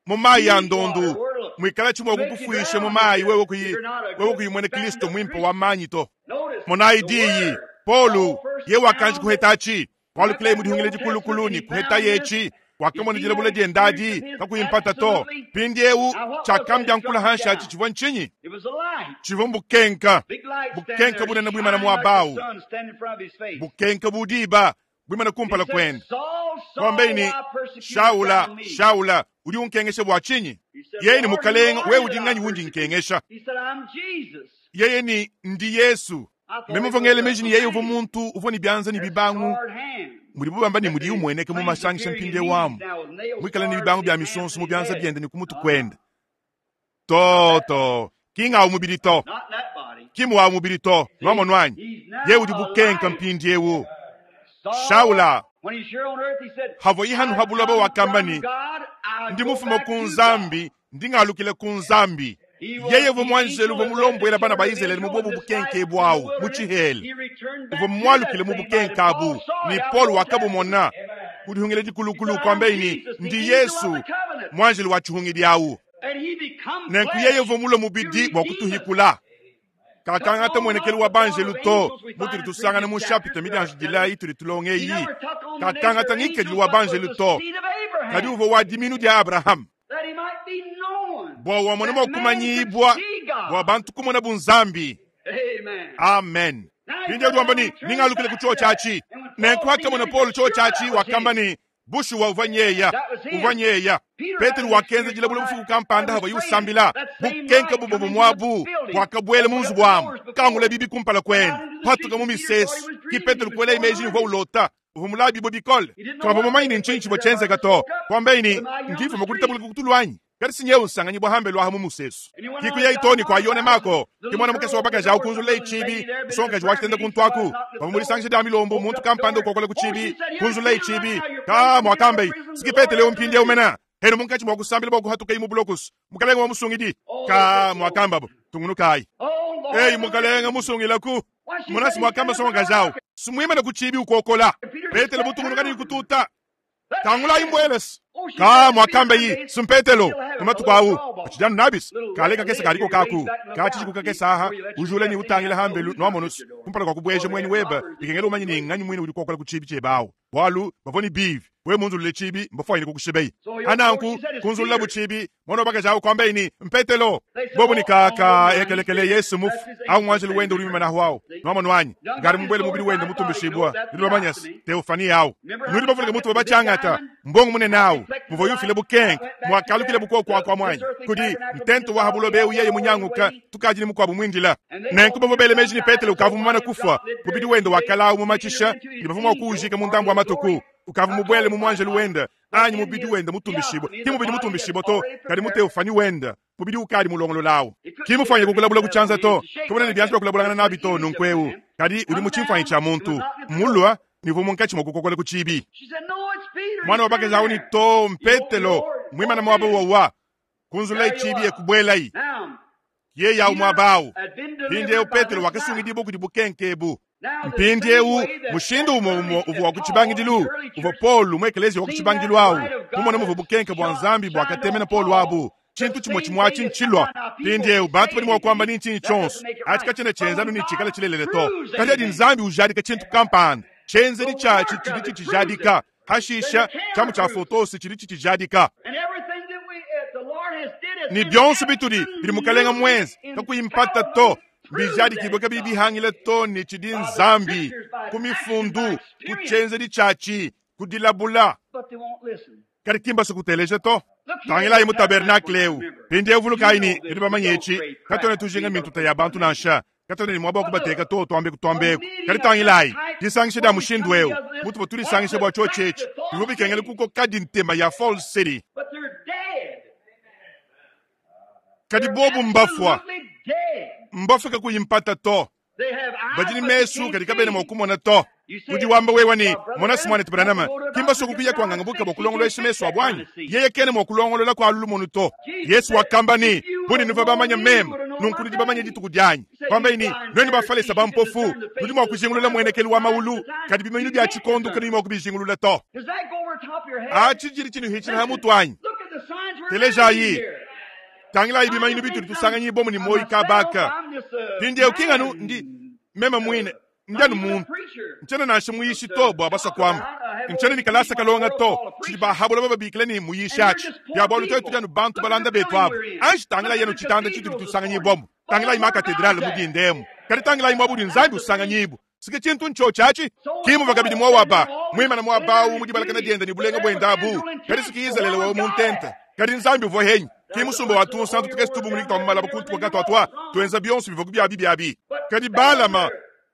Mumaya ndondu. Mwikala chimwe kukufuisha mumayi wewe kuyi wewe kuyimwene Kristo mwimpo wa manyi to. Monayi diyi Paulo ye wakanji kuhetachi. Walukile mudihungile dikulukuluni kuheta yechi. Wakamona dilabula diendadi kakuyimpata to. Pindiewu chakambya nkula hansha achi chivwa nchinyi. Chivwa mbukenka. Bukenka bunene bwimana mwabawu. Bukenka budiba bwimana kumpala kwenda. Kwambeini Shaula Shaula udi unkengesha bwa chinyi. Yeye ni mukalenga wewe udi nganyi wundi nkengesha. Yeye ni ndi Yesu. Meme mvua ngela meji ne yeye uvua muntu uvua ne bianza ne bibangu mudibu bamba ne mudiye umueneka mu masangisha mpindieu amu muikale ne bibangu bia misonso mu bianza biende ne ku mutu kuende. To to ki ng'awu mubidi to ki muwawu mubidi to nwamonu anyi ye udi bukenka mpindieu. Shaula havoyi hanu ha buloba wakamba ne ndi mufuma ku Nzambi ndi ngalukila ku Nzambi. Yeye uvua muanjelu uvua mulombwela bana ba Izalele mu bobu bukenke bwawu mu tshihela uvua mualukile mu bukenke abu ne Paul wakabumona kudihungila dikulukulu kwambaye ne ndi Yesu muanjelu wa tshihungidi awu. Nenku yeye uvua mulue mubidi bua kutuhikula. Kakangata muenekelu wa banjelu to mutudi tusangana mu chapitre midianjidila itudi tulonga eyi. Kakangata ngikadilu wa banjelu to kadi uvua wa diminu dia Abraham bua wamona mua kumanyibua bua bantu kumona bu Nzambi. Amen. Mpindieu udi wamba ne ningalukile ku chio tshiatshi. Nenku wakamona Paul chio tshiatshi wakamba ne bushuwa uvua nyeya uvua nyeya. Petelo wakenza dilabula bufuku kampanda hava yusambila bukenka bubobo mwabu bwakabwela mu nzubu amu kangula bibi kumpala kwene patuka mu misesu ki Petelo kuela imeji uvua ulota uvua mulabi bo bikole kavua mumanyi ne ntshinyi tshivua tshienzeka to kwambaye ne ndifuma kuditabula kutulu anyi kadi sinyewu nsanganyi bwa hambe lwaha mu musesu kikuya itoni kwa yone mako ki mwana mukese wa bakaji awu kunzulula ichibi nsongaji wakitenda kuntwaku pavua mulisangisha dia milombo muntu kampanda ukokola ku chibi kunzulula ichibi ka mwakambayi siki Petelo mpindieu mena henu munkatshi mwa kusambila bwa kuhatuka imu bulokusu mukalenga wa musungidi ka mwakambabo tungunukayi eyi mukalenga musungilaku munasi mwakamba songaji awu simwimana ku chibi ukokola Petelo butungunuka ni kututa tangulayi mbwelesi ka mwakamba yi simpetelo kumatuku awu achijanu nabisi kale kakesa kaliko kaku kachichiku kakesa aha ujule ni utangila hambelu nwamonusu kumpala kwa kubweja mweni weba bikengela umanyi ni nganyi mwini udi kokola ku chibi chebawu bwalu bavua ni bivi we munzulule chibi mbafwanyine kukushibeyi ananku kunzulula buchibi mwana wabakaji awu kwambayi ni mpetelo bobu ni kaka ekelekele Yesu mufu awu mwanjelu wende uli mimanahu awu nwamonu anyi ngari mubwele mubili wende mutumbishibwa nudi bamanyasi teofani awu nudi bavuluka mutu babachangata mbongo munene awu muvua yufile bukenke mwakalukile bukoko kwa mwanyi kudi ntento wa habulobe yeye munyanguka tukaji ni mukwabu mwindila nenku bavua bele meji ni Petelo ukavu mumana kufwa mubili wende wakalawu mumatshisha ni bavua mua kuujika mu ndambu wa matuku ukavu mubwele mu mwanjelu wenda anyi mubidi wenda mutumbishibwa ki mubidi mutumbishibwa to kadi muteofani wenda mubidi ukali mulongololawu ki mufanye kukulabula kuchanza to kabona ni byanza kulabulangana nabi to nunkweu kadi uli mu tshimfanyi tsha muntu mulwa ni munkatshi mwa kukokola ku chibi mwana wa bakaji awu ni to mpetelo mwimana mwaba wawa kunzula ichibi yekubwelayi ye yawu mwabawu mpindieu Petelo wakasungidibwa kudi bukenkebu mpindieu mushindu umwe umwe uvua wa kutshibangidilu uvua Paulo mu ekelezia wa kutshibangidilu awu mumona muvua bukenke bua Nzambi bwakatemena Paulo abu tshintu tshimwe tshimwe atshi ntshilwa mpindieu bantu badi mua kuamba ni ntshinyi tshionso atshi katshiena tshienzanu ni tshikala tshilelele to kadi adi Nzambi ujadika tshintu kampanda tshenzedi tshiatshi tshidi tshitshijadika hashisha tshiamu tshia fotosi tshidi tshitshijadika ni bionso bitudi bidi mukalenga mwenze kakuyimpata to bijadikibwe kabidi bihangile to ni tshidi Nzambi ku mifundu ku tshenzedi tshiatshi ku dilabula kadi kimba kuteleja to tangilayi mu tabernakle eu mpindieu vulukayi ni nudi bamanye etshi katona tujinga mintuta ya bantu nansha katona ni mwaba wa kubateka to tuambe kutuambeku kadi tangilayi disangisha dia mushindu eu mutu bua tudisangisha bua tshio tshetshi bivua bikengela kuko kadi ntema ya Falls City kadi bobu mbafua mbafika kuyimpata to badi ni mesu kadi kabena mua kumona to udi wamba wewa ni mona simwane Branham kimba soko kuya kwanganga buka bua kulongolesha mesu abwanyi yeye kene mua kulongolola kwa lulumonu to Yesu wakamba ni buni nuva bamanya meme nunku nudi bamanya dituku dianyi kwamba ini nweni bafalesa bampofu nudi mua kujingulula mwenekelu wa maulu kadi bimanyilu bia tshikondu kadi mua kubijingulula to atshi jili tshinu hitshina ha mutu anyi telejayi tangilayi bimanyilu bitudi tusanganyi bomu ni moyi kabaka mpindieu kinganu ndi meme mwine ndianu muntu ntshiena nansha muyishi to bua basua kuamba ntshiena ni kalasa kalonga to tshidi bahabula bababikila ni muyishi atshi bia bualu twetu dianu bantu balanda betu abu anji tangilayi yenu tshitanda tshitudi tusanganyi bomu tangilayi ma katedrale mudindemu kadi tangilayi mwabudi Nzambi usanganyibu sike tshintu ntsho tshiatshi kimuva kabidi mwawaba mwimana mwabawu mudibalakana dienda ni bulenga bwendabu kadi siki Izalele wa muntente kadi Nzambi uvua henyi ki musumba wa tunsantu tukesi tubunguliki twa mumalaba kuntu kwa katwatwa tuenza bionso bivua kubiabi biabi kadi Balama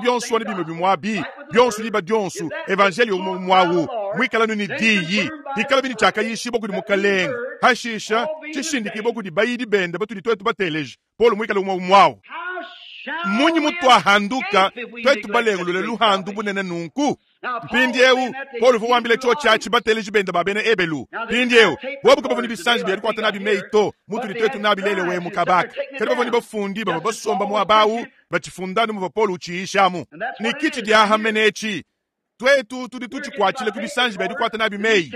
byonso anu bimwe bimwe abi, byonso diba dyonso, evanjeeliyo umwe umwe awu, mwikale anu ne Diyi, pikalabi ne cyakayiishiibwa kudi Mukalenge, pashiisha cishindikibwa kudi bayidi bende batudi twetu bateleje, Polo mwikale umwe umwe awu. How Mmunyi mutwahanduka twetu balengulule luhandu bunene nunku? Mpindiewu Paulo uvua wambila tshiotshi atshi bateleji bende ba bena Ebelu. Mpindiewu bobu kabavua ne bisanji bia dikwata nabi meyi to mutudi twetu nabi lele we mu kabaka. Kadi bavua ne bafundi bavua basomba muaba awu batshifunda muvua Paulo utshiishamu. Ne kitshi diaha mene etshi twetu tudi tutshikwatshile ku bisanji bia dikwata nabi meyi.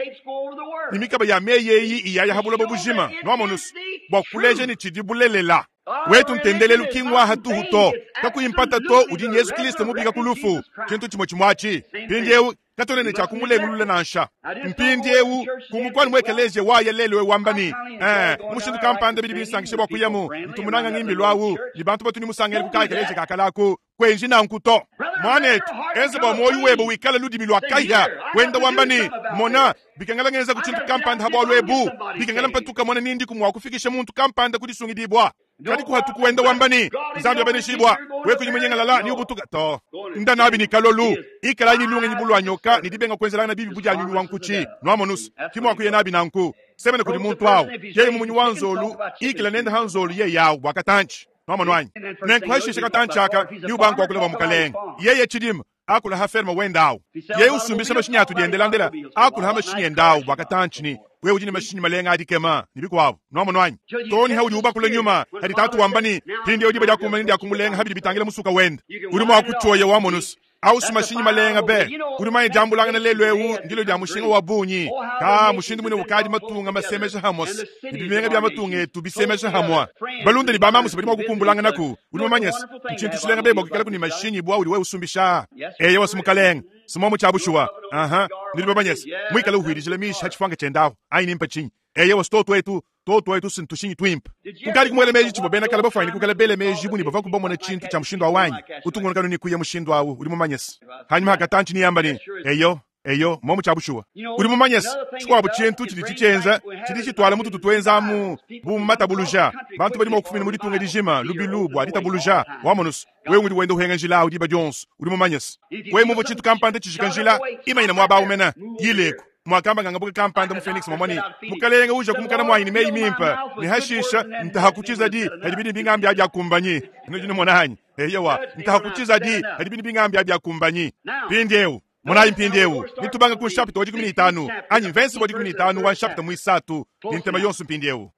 Ne mikaba ya meyi eyi iyaya ha buloba bujima nwamonusu bua kuleja ne tshidi bulelela. Wetu ntendelelu ki ngwa hatuhu to kakuyimpata to udi Yesu Kristo mubika ku lufu tshintu tshimwe tshimwachi. Mpindiewu katone ne tshia kumulengulula nansha. Mpindiewu kumukwani mwekeleje waya lelo wambani eh mushindu kampanda bidi bisangishe bwa kuyamu ntumunanga ngimbi lwawu ni bantu batuni musangele kukakeleje kakalaku kwenji nanku to mwanetu enze bwa moyo webo wikala ludimi lwa kaya wenda wambani mona bikangala ngenza kuchintu kampanda habwa lwebu bikangala mpatuka mona nindi kumwa kufikisha muntu kampanda kudisungidibwa kadi kuhatuku wenda wambani nzambi abanishibwa wekunyimenyengalala ni ubutuka to ndanabi ni kalolu ikala ni lunge ni bulwa nyoka ni dibenga kwenzelana bibi buja nyulu wankuchi nwamonus kimwa kuye nabi nanku semene kuli muntu awo yeye mumunyi wanzolu ikala nenda hanzolu ye yawo wakatanchi nwamonwanyi nenkwashisha katanchi aka ni ubangu wakula wa mukalenga yeye chidima akula ha ferma wendawo yeye usumbisha mashinyi atu diendelandela akula ha mashinyi endawo wakatanchi ni wewe ujini mashinyi malenga adikema nibikwabo nwamonwanyi toni haudi ubakula nyuma hadi tatu wambani pindi odiba jakumani ndi akumulenga habidi bitangila musuka wenda uri mwakuchoya wamonus au sumashinyi malenga be uri maye jambulanga na lelo ewu ndilo ja mushinga wa bunyi ka mushindu mwine ukadi matunga masemesha hamos ibimenga bya matunga etu bisemesha hamwa balunda ni bamamusi bali mwakukumbulanga naku uri mamanyesi nchintu chilenga be bwakikala kuni mashinyi bwa uri we usumbisha eye wasumukalenga simomo chabushuwa aha ndili babanyesi mwikala uhwirijile mishi hachifanga chendawo ainimpa chinyi eye wasitoto etu toto etu sintushinyi twimpa kukali kumwele meji chibo bena kala bafaini kukala bele meji buni bava kubomona chintu cha mushindu awanyi utungonekano ni kuya mushindu awu uri mumanyesi hanyuma hakatanchi niyambani eyo eyo momu chabushuwa uri mumanyesi chikwabo chintu chili chichenza chili chitwala mututu twenzamu bumatabuluja bantu bali mokufumina mulitunga lijima lubilu bwa litabuluja wamonusu wewe ngudi wenda uhenga njila awu diba dionso uri mumanyesi wewe mumvo chintu kampanda chishika njila imayina mwaba umena yileku mwakamba ngangabuka kampanda mu Phoenix momoni mukalenga uja kumukana mwaini meyi mimpa ni hashisha ntahakuchiza di hadibini bingambi aja kumbanyi nujini monanyi eyewa ntahakuchiza di hadibini bingambi aja kumbanyi pindiewu monayi mpindiewu nitubanga ku nshapita wa dikumi ni itanu anyi mvensi wa dikumi ni itanu wa nshapita mwisatu ni ntema yonso mpindiewu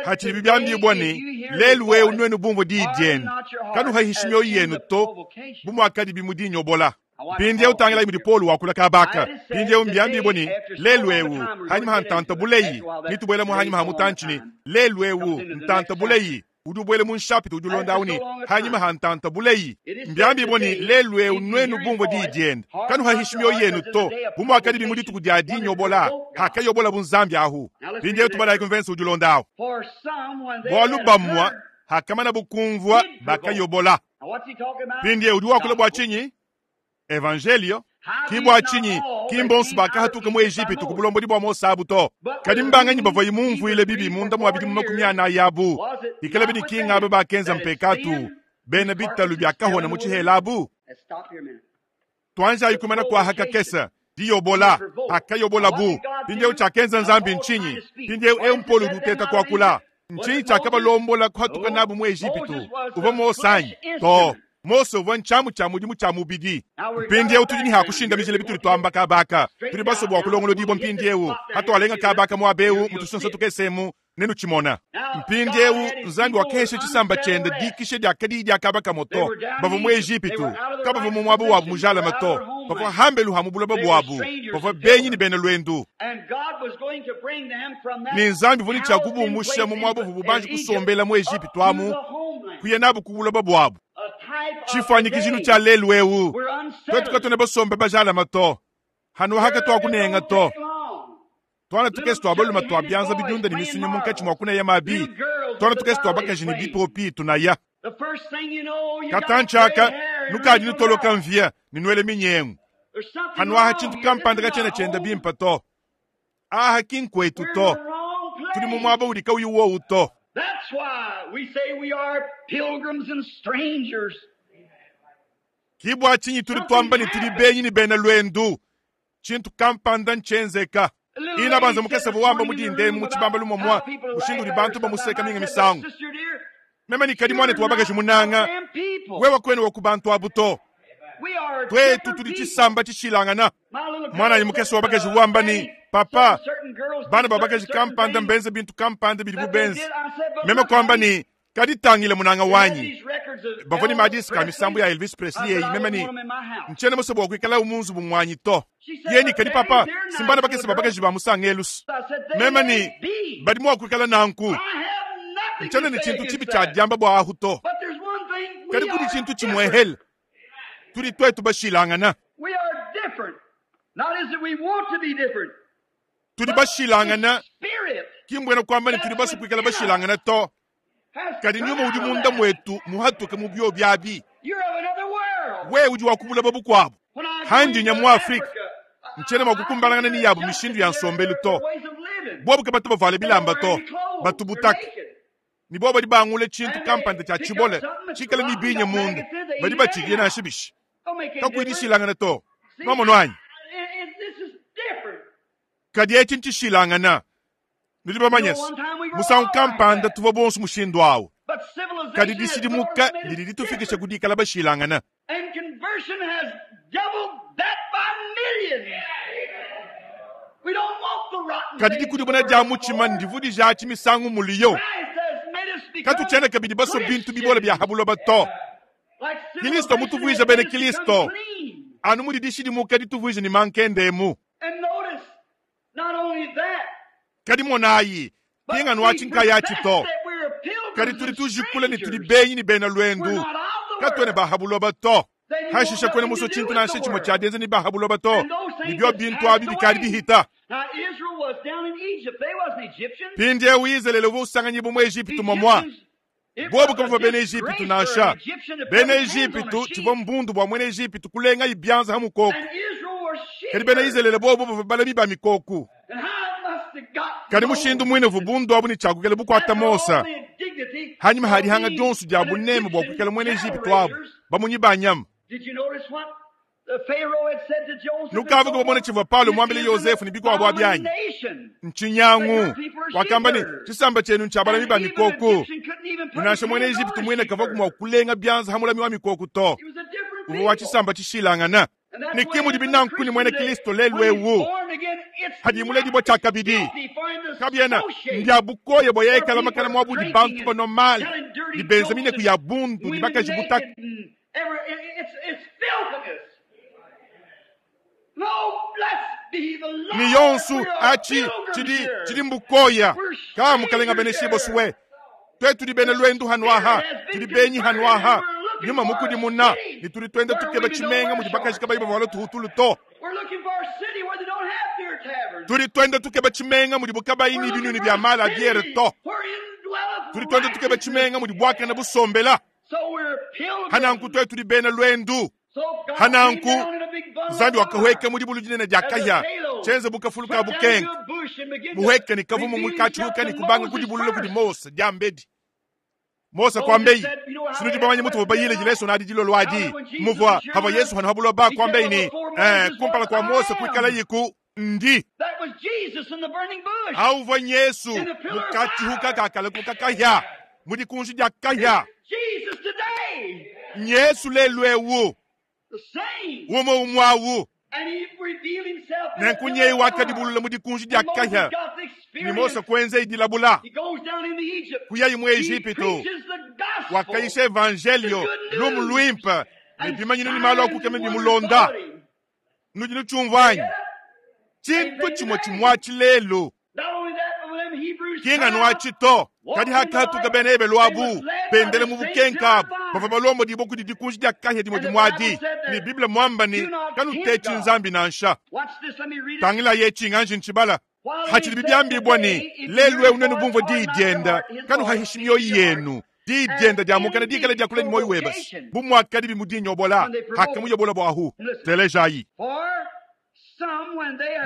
hachili bibyambibwa ni lelu wewu nwenu bumvo diidyenu kanuhahisha myoyo yenu to bumwakadi bimudinyobola mpindiewu tangila imudi Paulo wakula kabaka mpindiewu mbyambibwa ni lelu ewu hanyuma ha ntanta buleyi nitubwela mu hanyuma ha mutanchini lelu ewu ntanta buleyi udi ubwele mu nshapita udi ulonda ni hanyuma ha ntanta buleyi mbyambibwa ni lelu ewu nwenu bumvo diidyenu kanuhahisha myoyo yenu to bumwakadi bimudituku dya dinyobola hakayobola bunzambi ahu mpindiewu tubalayi kumvensi udi ulonda ahu bwalu bamwa hakamana bukumvwa bakayobola mpindiewu udi wakula bwa chinyi evangelio kibwa chinyi kimbonsu bakahatuka mu Egipitu ku bulombodi bwa Mose abu to kadi mbanganyi bavua mumvuile bibi munda mwa bidimu makumi ana yabu ikala bini kinga abe bakenza mpekatu bena bitalu bya kahona mu chihela abu twanja ikumana kwa hakakesa diyobola akayobola bu pindiewu chakenza nzambi nchinyi pindiewu eumpolu duteta kwakula nchinyi chakabalombola kuhatuka nabu mu Egipitu uva Mose to Mose uvua nchamu cha mudimu cha mubidi mpindiewu tudi ni hakushinda mijile bituli twamba kabaka tuli baso bwa kulongolo dibo mpindiewu hatwalenga kabaka mwabewu mutusonso tukesemu nenu chimona mpindiewu nzambi wakeshe chisamba chende dikishe dya kadi dya kabaka moto bavua mu Egipitu kabavua mu mwabo wabu mujala mato bavua hambelu ha mubuloba bwabu bavua benyi ni bena lwendu ni nzambi vuni cha kubumusha mu mwabo vububanji kusombela mu Egipitu amu kuya nabu kubuloba bwabu chifanyikizhinu cha lelu ewu twetu katone basombe bajala mato hanu haka twakunenga to twana tukesi twabaluma twabyanza bidyunda ni misunyu munkatshi mwakuneya mabi twana tukesi twabakaji ni bipopi tunaya katanchaka nukadi nutoloka mvia ninwele minyengu hanu aha chintu kampanda kachena chenda bimpa to aha kinkwetu to tuli mu mwaba uli kauyu wowu to That's why we say we are pilgrims and strangers. Kibwa chinyi tuli twamba ni tuli benyi ni bena lwendu. Chintu kampanda nchenzeka. Ina banza mukesa buwamba mudinde mu chibamba lumomwa. Mushindu li bantu bamuseka minga misangu. Meme ne kadi mwanetu wa bakaji munanga wewe kwene wa ku bantu abu to. Twetu tudi tshisamba tshishilangana. Mwananyi mukese wa bakaji wamba ni papa bana ba bakaji kampanda mbenze bintu kampanda bidi bubenze. Meme kwamba ni kadi tangile munanga wanyi. Bavua ne madisi ka misambu ya Elvis Presley eyi meme ni ntshiena musue bua kuikala mu nzubu muanyi to. Yeni kadi papa simbana bakese ba bakaji ba musangelusu. Meme ni badi mua kuikala nanku. Ntshiena ne tshintu tshibi tshia diamba bua ahu to. Kadi kudi tshintu tshimue hele. Tudi twetu bashilangana. Tudi bashilangana. Ki mbuena kuamba ne tudi basue kuikala bashilangana to. Kadi nyuma udi munda mwetu muhatuke mu bio byabi. Wewe udi wakubula babu kwabu. Handi nya mu Afrika. Ntshiena mua kukumbalangana ni yabu mishindu ya nsombelu to. Bobu ke batu bavale bilamba to. Batu butaka. Ni bobu badi bangule tshintu kampanda tshia tshibole. Tshikale ni binye munda. Badi batshilie nansha bishi. Kakuidishilangana to. Mwamono anyi? Kadi etshi ntshishilangana. Nudi bamanye se, musangu kampanda tuvua bonso mushindu awu. Kadi dishidimuka didi ditufikisha ku dikala bashilangana. Kadi dikudimuna dia mutshima ndivudija misangu muliyo. Katutshiena kabidi basue bintu bibole bia habuloba to. Kristo mutuvuije bene Kristo. Anu mudi dishidimuka dituvuije ni mankendemu. Kadi monayi, pinganu atshinkaya to. Kadi tudi tujikula ne tudi benyi ne bena lwendu. Katuena bahabuloba to. Hashisha kwena muso tshintu nansha tshimue tshia dienza ne bahabuloba to. Ne bio bintu abi bikadi bihita. Pindiewu Izalele uvua usanganyibua mu Ejipitu momwa. Bobu kabavua bena Ejipitu nansha. Bena Ejipitu tshivua mbundu bua muena Ejipitu kulenga ibyanza ha mukoko. Kadi bena Izalele bobu bavua balami ba mikoko. Kadi mushindu muine uvua bundu abu ne tshiakukela bukuata Mose. Hanyuma hadihanga dionso dia buneme bua kuikala muena Ejipitu abu bamunyi ba nyama. Nukavuka bamone tshivua Paulo muambile Yosefu ne bikuabu abyanyi. Ntshinyangu wakamba ne tshisamba tshienu ntshia balami ba mikoko. Nansha muena Ejipitu muine kavua mua kulenga byanza ha mulami wa mikoko to. Uvua wa tshisamba tshishilangana. Ne ki mudi binanku ni muena Kristo lelu ewu. Hadi muledibua tshiakabidi. Kabiena mbia bukoya bua yekala makana muabudi bantu ba normal. Ni benza mineku ya bundu ni bakaji butaka. Ni yonsu achi chidi chidi mbukoya. Ka mukalenga bene shibo suwe. Twetu di bene lwendu hanwaha. Tudi benyi hanwaha. Nyuma mukudi muna. Ni tudi twende tukeba chimenga mudi bakaji kabayi bavala tuhutulu to. Tudi twende tukeba chimenga mudi bukabayi ni binuni bya mala biere to. Tudi twende tukeba chimenga mudi bwakana busombela. Hananku twetu di bene lwendu. Hananku Nzambi wakahweka mudi bulu dinene dia kahya. Chenze bukafuluka bukenga. Buhweka ni kavumu mukachuka ni kubanga kudibulula kudi Mose diambedi. Mose kwambei sinudi bamanye mutu bayile jileso na didilo lwadi muvwa hava Yesu hanu habulo ba kwambei ni eh kumpala kwa Mose kuikala yiku ndi auvwa Yesu mukachihuka kakala kukakahya mudi kunji dia kahya Yesu lelwewu umo umwawu nenkunyeyi wakadibulula mudi kunji dia kahya ni Mose kwenze idilabula kuyayi mu Ejipitu wakayisha evangelio lumu lwimpe ne bimanyinu ni malu akukeme bimulonda nudi nutshumvanyi tshintu tshimue tshimua lelu kinga nuatshi to kadi hakatuka bena ebelu abu bendele mu bukenka bavua balombo dibo kudi dikunji dia kahya dimue dimuadi ne Bible muamba ni kanutetshi nzambi nansha. Tangila ye tshinganji ntshibala hatshidi bibyambibwa ni lelu ewu nenu bumvua diyi dienda kanuhahishi mioyo yenu diyi dienda dia mukana dikala dia kula ni moyo webasi bumwakadi bimudinyobola hakamuyobola bwahu telejayi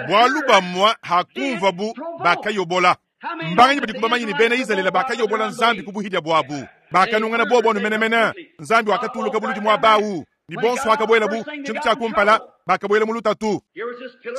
bwalu bamwa hakumva bu bakayobola mbanganyi badi kubamanyi ni bena Izalele bakayobola nzambi kubuhidya bwabu bakanungana bobo numenemene nzambi wakatuluka buludi mwa bawu Ne bonso hakabuelabu tshintu tshia kumpala bakabuela mu lutatu.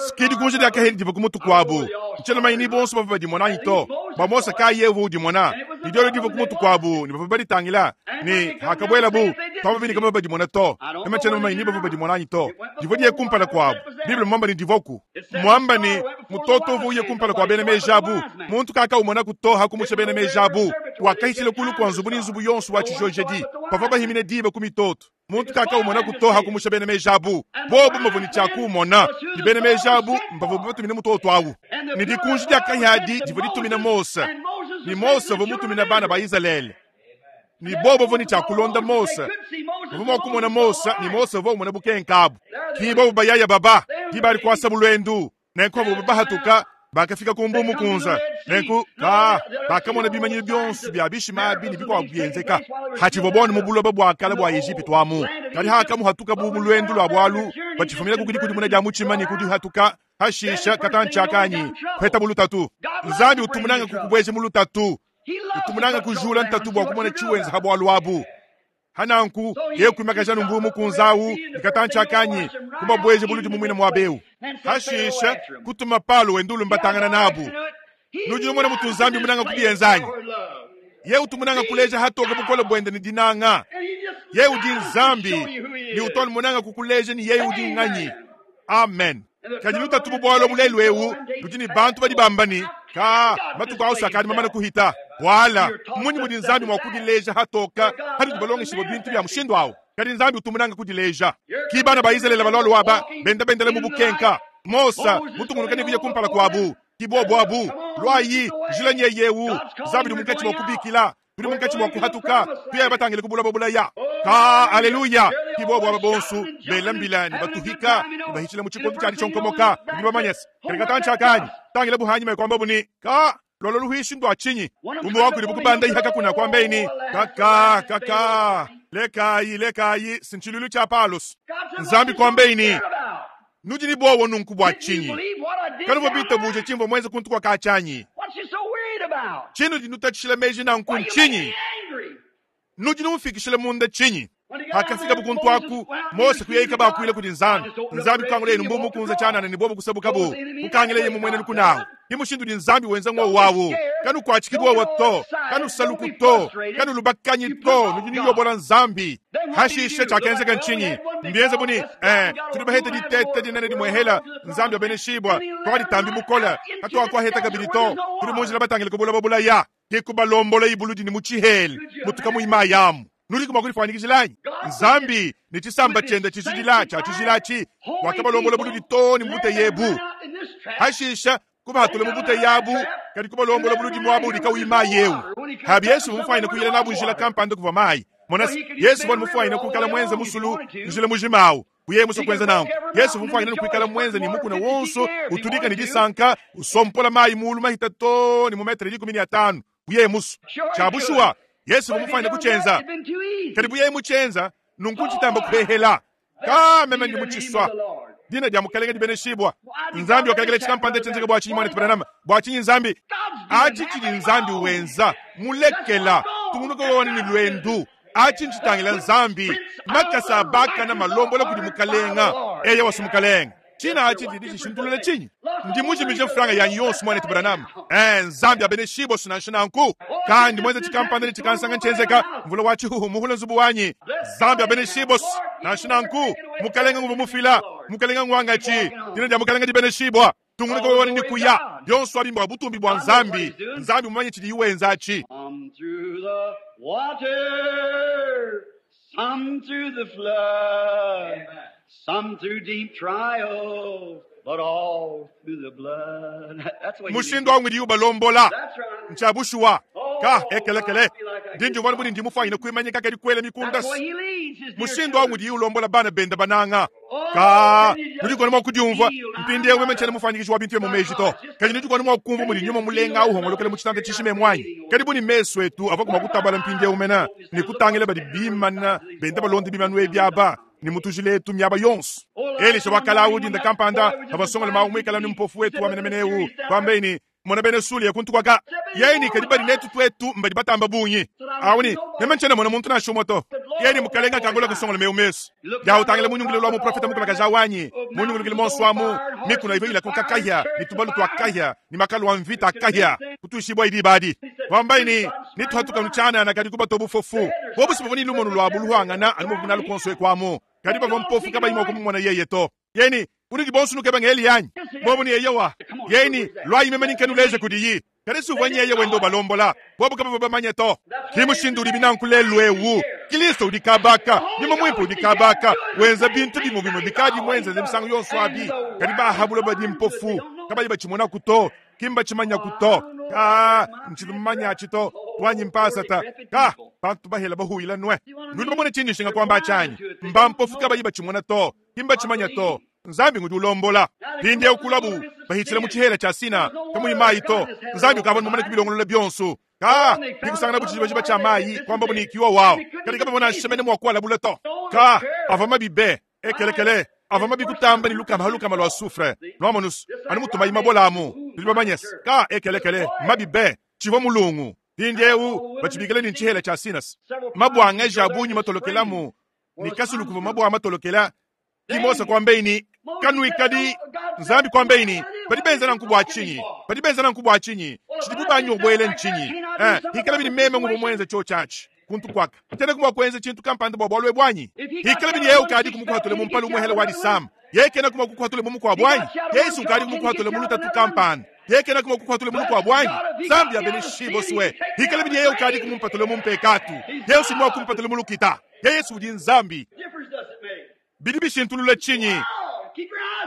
Sikidi kunja dia kaheli diva ku mutu kwabu. Ntshiena mumanye ni bonso bavua badimona anyi to. Bua Mose kayi uvua udimona. Ne diolo diva ku mutu kwabu ne bavua baditangila ne hakabuelabu twamba bini kabavua badimona to. Meme tshiena mumanye ni bavua badimona anyi to. Divua diye kumpala kwabu. Bible mwamba ne divoku. Mwamba ne mutoto uvua uye kumpala kwa bena meji abu. Muntu kakaumona to hakumusha bena meji abu. Wakahitshila kulu kwa nzubu ni nzubu yonso wa tshijojedi. Pavua bahimine diba ku mitoto. Muntu kakaumona to hakumusha bena meji abu. Bobu mavua ne tshia kumona. Ni bena meji abu mbavua batumine mutoto awu. Ni dikunji dia kahadi divua ditumina Mose. Ni Mose uvua mutumina bana ba Izalele. Ni bobo bavua ne tshia kulonda Mose. Bavua mua kumona Mose, ni Mose uvua umona bukenka abu. Ki bobo bayaya baba, di bali kuasa bulwendu. Nenku bavua bahatuka, bakafika ku mbu mukunza. Nenku ka bakamona bimanyiro byonso bya bishima abi ne bikuabu byenzeka. Hatshivua bone mu buloba bua kale bua Egipitu amu. Kadi hakamuhatuka bu mu lwendu lua bwalu, bachifumina ku kudikudimuna dia mutshima ne kudihatuka, hashisha katantshiakanyi, kweta mu lutatu. Nzambi utumunanga kukubweja mu lutatu. Utumunanga kujula ntatu bua kumona tshiwenza ha bwalu abu. Hananku ye kuimakaja numbu mukunzawu nikatantshiakanyi kubabweje buludi mumwina mwabeu. Hashisha kutuma palo wendulu mbatangana nabu. Nudi numona mutu Nzambi munanga kubienzanyi. Ye utumunanga kuleja hatoka bukola bwende ni dinanga. Ye udi Nzambi ni utoni munanga kukuleja ni ye udi nganyi. Amen. Kadi lutatu bubwalo mulelu ewu ludi ni bantu badi bambani ka matuku awu sakadi mamana kuhita. Wala munyi mudi Nzambi mwa kudileja hatoka hadi tubalongeshe bintu bya mushindu awu. Kadi Nzambi utumunanga kudileja. Ki bana ba Izalele balolo waba benda bendele mu bukenka. Mosa mutungunuka ne kuya kumpala kwabu. Ki bobo abu lwayi njila nye yewu. Nzambi munkatshi mwa kubikila. Tuli munkatshi mwa kuhatuka. Tuya batangile kubula bulaya. Ka haleluya. Ki bobo aba bonsu bela mbila ni batuhika ni bahichila mu chikondo tsha chonkomoka. Ni bamanyesa. Kadi katantsha Tangile buhanyi mai kwamba buni. Ka lolo luhishi ndo achinyi. Umbo wako ni bukubanda ihaka kuna kwamba ini. Kaka kaka lekayi lekayi sinchilulu cha Paulus. Nzambi kwamba ini. Nudi ni bowo nunku bwa chinyi. Kanu bobita buje chimbo mwenze kuntu kwa kachanyi. Chinu di nutachishila meji na nku nchinyi. Nudi numfikishila munda chinyi. Hakafika bukuntu aku Mose kuyeika bakuile kudi Nzambi. Nzambi kangule inu mbumu kunza chana ni bobo kusabuka bo. Kukangile ye mumwene lukunawo. Himushindu di Nzambi wenza ngo wawo. Kanu kwachikidwa wato. Kanu saluku to. Kanu lubakanyi to. Nudi niyobola Nzambi. Hashishe chakenzeka nchinyi. Mbienze buni eh tulibahete di tete di nene di mwehela Nzambi abeneshibwa. Kwa ditambi bukola. Katwa kwa heta kabili to. Tuli munjila batangile kubula babula ya. Kikubalombola ibuludi ni muchiheli. Mutuka muimayamu. Nuli kuma kulifanikishilanyi. Nzambi ni chisamba chenda chishijila cha chijilachi. Wakabalombola buludi to ni mbute yebu. Hashisha kubahatule mubute yabu kadi kubalombola buludi mwabu likawima yewu. Habi Yesu mufayina kuyela nabu njila kampanda kuva mayi. Monasi Yesu bwana mufayina kukala mwenza musulu njila mujimawu. Kuye muso kwenza nangu. Yesu mufayina kuikala mwenza ni mukuna wonso utudika ni disanka usompola mayi mulu mahita to ni mumetre likumi ni atano. Kuye muso. Chabushua Yesu mufayina kuchenza. Karibu yeye muchenza nunku chitamba kuhehela. Ka meme ndi muchiswa. Dina dia mukalenge di beneshibwa. Nzambi wakalekele chikampande chenzeka bwa chinyi mwana tibanama. Bwa chinyi Nzambi. Achi chili Nzambi wenza. Mulekela. Tungunuka wona ni lwendu. Achi nchitangila Nzambi. Makasa baka na malombola kudi mukalenga. Eye wasu mukalenga. China achi chidi chishintulule chinyi. Ndi mujimije franga ya yonsu mwana tibanama. Eh Nzambi abeneshibwa sunanshina nku. Kandi mwenza chikampande chikansanga nchenzeka. Mvula wa chihuhu muhula nzubu wanyi. Nzambi abeneshibwa sunanshina nku. Mukalenga ngubu mufila. Mukalenga ngwangachi. Dina dia mukalenga di beneshibwa. Tungunuka wona ni kuya. Yonsu abimba butumbi bwa Nzambi. Nzambi mumanye chidi iwenzachi. Some through the water, some through the flood, some through deep trials, but all through the blood. That's what you Mushindu wangu ndi ubalombola. That's right. Nchabushuwa. Ka ekelekele. Ndinju wana buni ndimufanyina kuimanyika kadi kwele mikunda. That's why he leads his dear Mushindu wangu children. ndi ulombola bana benda bananga. Ka nudi mwa kudiumva mpindi yewe mchana mufanyikishwa bintu mu meji to. Kadi nudi mwa kumva muli nyuma mulenga uhongolokele mu chitanda chishime mwanyi. Kadi buni meso etu ava kuma kutabala mpindi yewe mena ni kutangile badi bimana benda balondi bimanu ebyaba ni mutujile etu myaba yonso. Elisha wakala udi nda kampanda abasongola maumwikala ni mpofu wetu wa menemenewu kwambeni mona bene suli yakuntu kwaka yeni kadi badi netu twetu mbadi batamba bunyi awuni meme nchena mona muntu na shumoto Yeni mukalenga kangola kusongola meu mesu. Ya utangile munyungulilo lwa muprofeta mukulakaja wanyi. Munyungulukile monso amu. Mikuna ivo ila kukakaya. Ni tubalu twakaya. Ni makalu wa mvita akaya. Kutuishibwa idi badi. Wambaini nituhatuka nuchana na kadi kuba tobufofu. Bobusi bovoni lumonu lwa buluhangana anumu bunalu konswe kwamu. Kadi bava mpofu kaba imwa kumumwana yeye to. Yeni unidi bonsu nukeba ngeli yanyi. Bobu ni yeyewa. Yeni lwa imemeni nkenuleje kudiyi. Kadi suvwa nyeye wendo balombola. Bobu kaba baba to. Kimushindu uli binankulelu ewu. Kristo udi kabaka. Nyuma mwimpu udi kabaka. Wenza bintu bimo bimo bikadi mwenza zemsango yonso abi. Kadi bahabula badi mpofu. Kaba iba chimona kuto. Kimba chimanya kuto. Ka nchilumanya chito. Twanyi mpasata. Ka bantu bahela bahuila nwe. Nuli bamone chini shinga kwamba chanyi. Mba mpofu kaba iba chimona to. Kimba chimanya to. Nzambi ngudi ulombola. Pinde ukulabu. Bahitile mu chihela cha sina. Kamu imayi to. Nzambi ukabona mumane kubilongolola byonso. Ka nikusangana buchiba chiba cha mayi kwamba bunikiwa wao. Kadi kaba bona shemene mwakwala buleto. Ka avama bibe ekelekele avama bikutamba ni lukama halukama lwa sufre. Lwamonus anu mutumba imabolamu. Tuliba manyes. Ka ekelekele mabibe chivo mulungu. Pinde u bachibikele ni chihela cha sinas. Mabwanga jabunyi matolokelamu. Ni kasulu kuva mabwa matolokela. Kimosa kwambeini kanuikadi nzambi kwambeini badi benza na nkubwa chinyi badi benza na nkubwa chinyi chidibu banyo bwele nchinyi eh hikala bini meme ngubo mwenze cho chachi kuntu kwaka tena kumwa kwenze chintu kampanda bwa bwalwe bwanyi hikala bini yeu kadi kumukwatule mumpalu muhele wadi sam yeke na kumwa kukwatule mumukwa bwanyi Yesu kadi kumukwatule muluta tu kampanda yeke na kumwa kukwatule mulukwa bwanyi zambi ya beni shibo swe hikala bini yeu kadi kumumpatule mumpekatu Yesu mwa kumpatule mulukita Yesu udi nzambi bidi bishintulula chinyi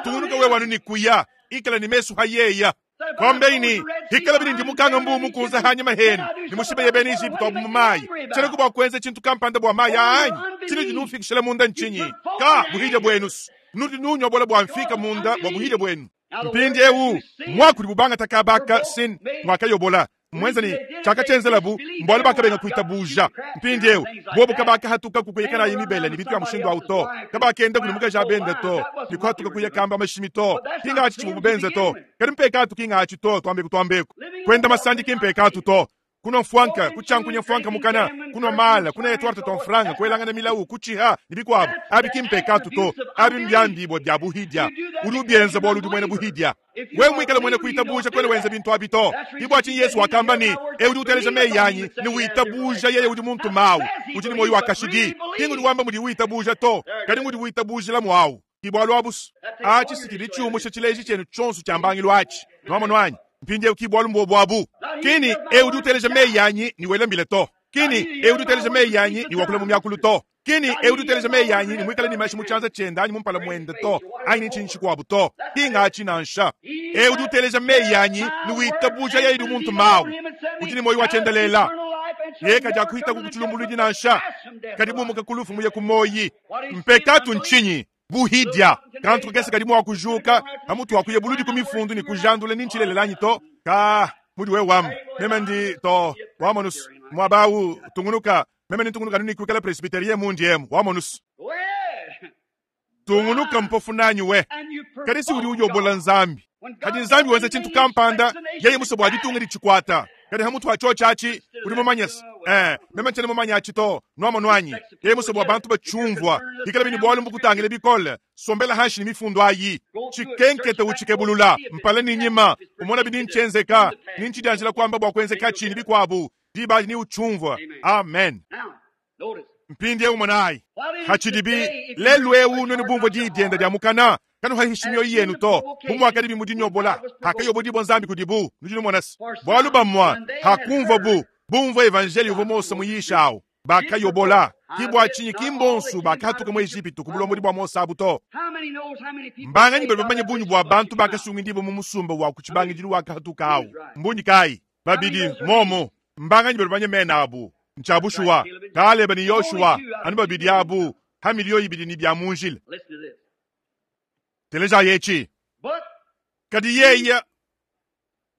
tunuka we wanu nikuya ikala ni mesu hayeya kwambeini hikala bini ndi mukanga mbu mukunza hanya maheni ni mushibe yebeni Egypto abu mumayi chene kubwa kwenze chintu kampanda bwa mayi anyi chine dinufikishela munda nchinyi ka buhija bwenus nudi nunywa bola bwa mfika munda bwa buhija bwenu mpindi ewu mwakuli bubanga takabaka sin mwakayobola mwenza ni chaka chenzelabu mbwalo bakabenga kuita buja mpindi ewu bobo kabaka hatuka kukuyekana yimibele ni bitu ya mushindo auto kabaka enda kulimuka jabende to nikwatuka kuyekamba mashimi to kinga achi chibubenze to kadi mpeka atu kinga achi to twambe kutwambeko kwenda masandi kimpeka atu to kuno mfwanka kuchankunya mfwanka mukana kuno mala kuna etwarte to mfranga kwelanga na milau kuchiha nibikwabo abi kimpeka atu to abi mbyambi bo bya buhidya ulubienza bo ludi mwene buhidya we mwikale mwene kuita buja kwele wenze bintu abito ibwa chin Yesu wakamba ni eudi uteleja meyi yanyi ni wita buja yeye udi muntu mawu udi ni moyo wakashidi kingu di wamba mudi wita buja to kadi mudi wita buja la mwawu kibwa lwabus achi sikili chumu chileji chenu chonsu chambangilo achi nwamo nwanyi mpinde ukibwa lumbo bwabu kini eudi uteleja meyi yanyi ni welambile to kini eudi uteleja meyi yanyi ni wakula mu myakulu to kini eudi uteleja meyi yanyi ni mwikale ni mashi muchanza chenda anyi mumpala mwenda to ayi ni chinchi kwabu to kinga achi nansha eudi uteleja meyi yanyi ni witabuja yeye muntu mawu udi ni moyo wachendelela yeka ja kuita kukuchulumbuludi nansha kadi bumuka kulufu muye kumoyi mpekatu nchinyi buhidya kantu kese kadi mwa kujuka amutu wakuye buludi kumifundu ni kujandule ni nchilelelanyi to ka mudi we wam meme ndi to wamonus mwabawu tungunuka meme ni tungunuka nini kuikala presbyterie mundi emu wamonus tungunuka mpofu nanyi we kadi si udi ujobola nzambi kadi nzambi wenza chintu kampanda yeye musobo aditunga dichikwata kadi hamutu acho chachi udi mumanyesa eh meme nchene mumanya achi to nwamo nwanyi yeye musobo abantu bachumvwa ikala bini bwalu mbukutangile bikole sombela hashi ni mifundo ayi chikenkete uchikebulula mpale ni nyima umona bini nchenzeka ni nchidanjila kwamba bwa kwenzeka chini bikwabu diba ni uchumvwa amen mpindi ewu mwanayi hachidibi lelu ewu noni bumvo didienda dia mukana kanu hahishimyo yenu to bumwaka dibi mudinyobola hakayobo dibo nzambi kudibu nujino mwanasi bwalu bamwa hakumva bu bumvo evanjeli uvo Mose muyishawo bakayobola kibwa chinyi kimbonsu bakatuka mu Egypto kubulombo bwa Mose abuto mbanganyi bali bamanye bunyu bwa bantu bakasunga ndibo mu musumba wa kuchibangijiru wakatuka awo mbunyi kai babidi momo mbanganyi bali bamanye mena abu nchabushuwa Kaleba ni Yoshua anu babidi abu hamiliyo ibidi ni bya munjile teleja yechi kadi yeya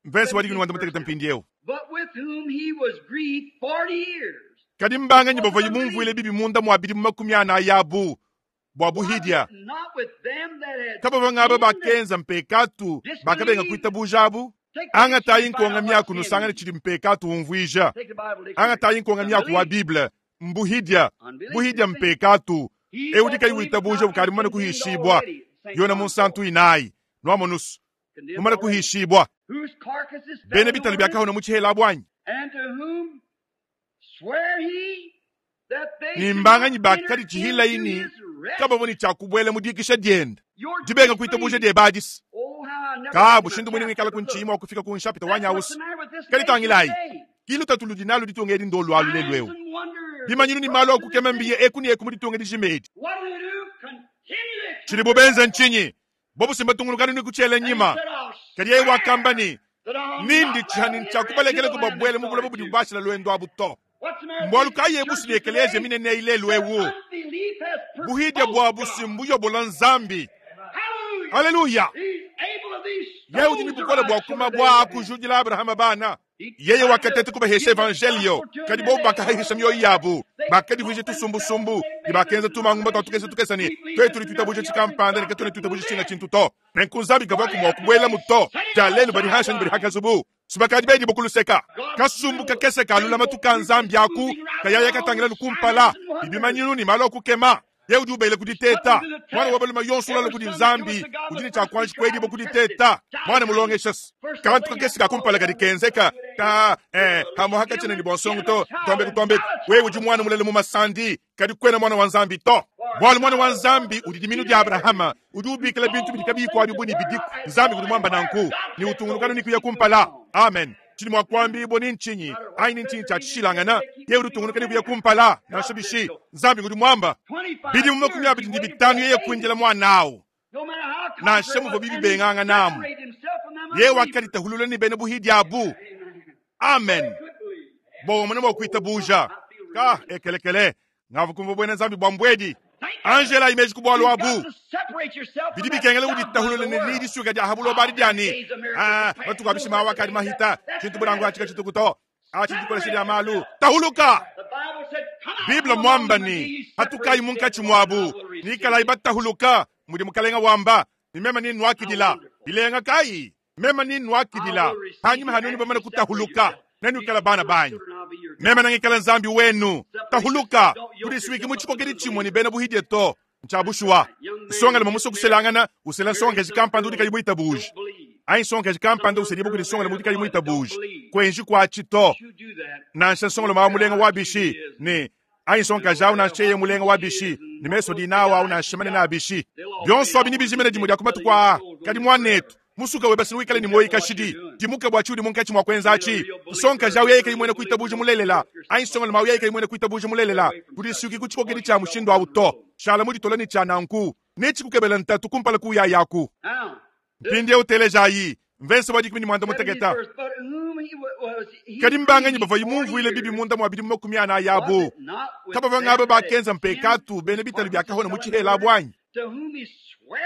mvesi wadi kunuwanda muteketa mpindi ewu But with whom he was grieved forty years. kadi mbanganyi bava yimumvuile bibi munda mwabidi mu makumi ana ayabu bwa buhidya Not with them that had kaba bangaba bakenza mpekatu bakabenga kuita bujabu anga tayi nkonga myaku nusangane chili mpekatu umvuija Take the Bible dictionary. anga tayi nkonga myaku wa Bible Mbuhidya, buhidya mpekatu. Ewu dikayi witabuja ukadi mumane kuhishibwa. Yona munsantu inayi. Nwamonusu. Mumane kuhishibwa. Bene bitali byakahona mu chihela bwanyi. Nimbanganyi bakadi chihila ini kababoni chakubwele mudikisha dienda. Dibenga kuitabuja diebadisi. Kabu shindu mwini mwikala kunchima wakufika kunshapita wanyausi. Kalitangilai. Kilu tatulu dinalu ditungedi ndolu alulelweu. Bimanyinu ni malo akukema mbiye eku ni eku muditunga dijimedi. Chili bubenza nchinyi. Bobu simba tungulukani ni kuchele nyima. Kadi yewe wakambani. Nindi chihani nchakubalekele kubabwele mubula bubu dibashila lwendo abuto. Mbwalu kaye busi liekeleze mine ne ile lwewu. Buhidya bwa busimbu yobola nzambi. Haleluya. Yewe udi bukola bwa kuma bwa kujudila Abraham bana. Yeye wakatete kubahesha evangelio. Kadi bobu bakahisha mioyo yabo. Bakadi vuje tusumbusumbu. Ni bakenza tumangumba twatukesa tukesani. Twetu litutabuje chikampanda ni ketone tutabuje chinga chintu to. Nenkunzabi gava kumwa kubwela muto. Jalenu bari hasha ni bari hakazubu. Subakadi bedi bokuluseka. Kasumbu kakese kalula matuka nzambi aku. Kayaya katangila nukumpala. Ibimanyinu ni malo kukema. Ye udi ubele kuditeta. Mwana wabaluma yonso lalo kudi nzambi. Udini cha kwanji kwedi bokuditeta. Mwana mulongesha. Kantu kakese kakumpala kadi kenzeka. Ka eh hamuhaka chene ni bonsongo to. Tombe kutombe. Wewe udi mwana mulele mu masandi. Kadi kwena mwana wa nzambi to. Bwali mwana wa nzambi udi diminu di Abrahama. Udi ubikila bintu bidikabi kwa bibuni bidiku. Nzambi kudi mwamba nanku. Ni utungulukano ni kuya kumpala. Amen. Chini mwakwambi ibo ni nchinyi. Aini nchinyi cha chishilangana. Ye udi utungulukano kuya kumpala. Nashabishi. Nzambi kudi mwamba. Bidi mumakumi abidi ndi bitanu yeye kuinjila mwanao. Na shemu vo bibi benganga namu. Ye wakati tahulula ni bene buhidi abu. Amen. Bo mwana mwa buja. Ka ekelekele. Ngavu kumvo bwene nzambi bwambwedi. Angela imeji kubwalu abu. Bidi bikengele udi tahulula ni lidi suka dia habulo bari diani. Ah, batu kwa bishima wakati mahita. Chintu burangu achika chitu kuto. Achi dikole shiri amalu. Tahuluka. Biblia mwamba ni hatukai munkachi mwabu. Nikala ibatahuluka mudi mukalenga wamba. Ni mema ni nwakidila. Ilenga kai. Mema ni nwakidila. Hanyuma hanuni bamana kutahuluka. Nenu kala bana banyu. Mema nangikala nzambi wenu. Tahuluka. Kudiswiki muchikokedi chimwe ni bena buhidye to. Nchabushwa. Songa le mamuso kuselangana. Usela songa jikampanda udika yibuita buji. Ain songa jikampanda uselibu kudi songa le mudika yibuita buji. Kwenji kwa chito. Nansha songa le mamulenga wabishi. Ni ain songa jau na cheye mulenga wabishi. Ni meso dinawa au na shimane na abishi. Byonso abini bijimene jimu diakumatu kwa. Kadi mwanetu. Musuka webasi wikale ni moyi kashidi. Dimuka bwachi udi munkachi mwa kwenzachi. Sonka jau yeye kayimwene kuitabuji mulelela. Ain songa le mawu yeye kayimwene kuitabuji mulelela. Kudisuki kuchikokedi cha mushindo auto. Shala mudi tolani cha nanku. Nechi kukebela ntatu kumpala kuya yaku. Mpindi utelejayi. Mvenso wadi kumini mwanda mutegeta. Kadi mbanganyi bava yimunvu ile bibi munda mwabidi mmakumi ana yabo. Kaba vangaba bakenza mpekatu bene bitali byakahona muchihela bwanyi.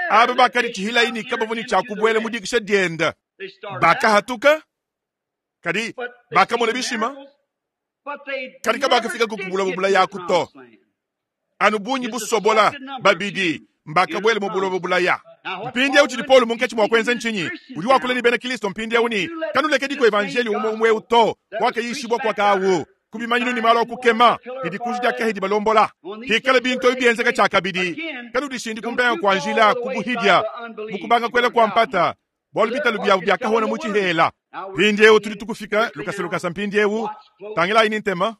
Aba bakadi chihila ini kaba voni chakubwele mudikisha dienda. Bakahatuka. Kadi bakamona bishima. Kadi kabakafika kukubula bubula yakuto. Anu bunyi busobola babidi mbakabwele mubula bubula ya. Mpindi au chilipolo munkechi mwakwenza nchinyi. Uli wakule ni bene Kristo mpindi au ni. Kanuleke diko evangelio umwe umwe uto. Wake yishibwa kwa kawu. Kubimanyinu ni malo kukema. Nidikuji ya kahidi balombola. Hikale binto ibienzeka chakabidi. Kanudishindi kumbenga kwa njila kubuhidia. Mukubanga kwela kwa mpata. Bwalu bitalu bya bya kahona muchihela. Mpindi eu tuli tukufika. Lukasa lukasa mpindi eu. Tangila inintema.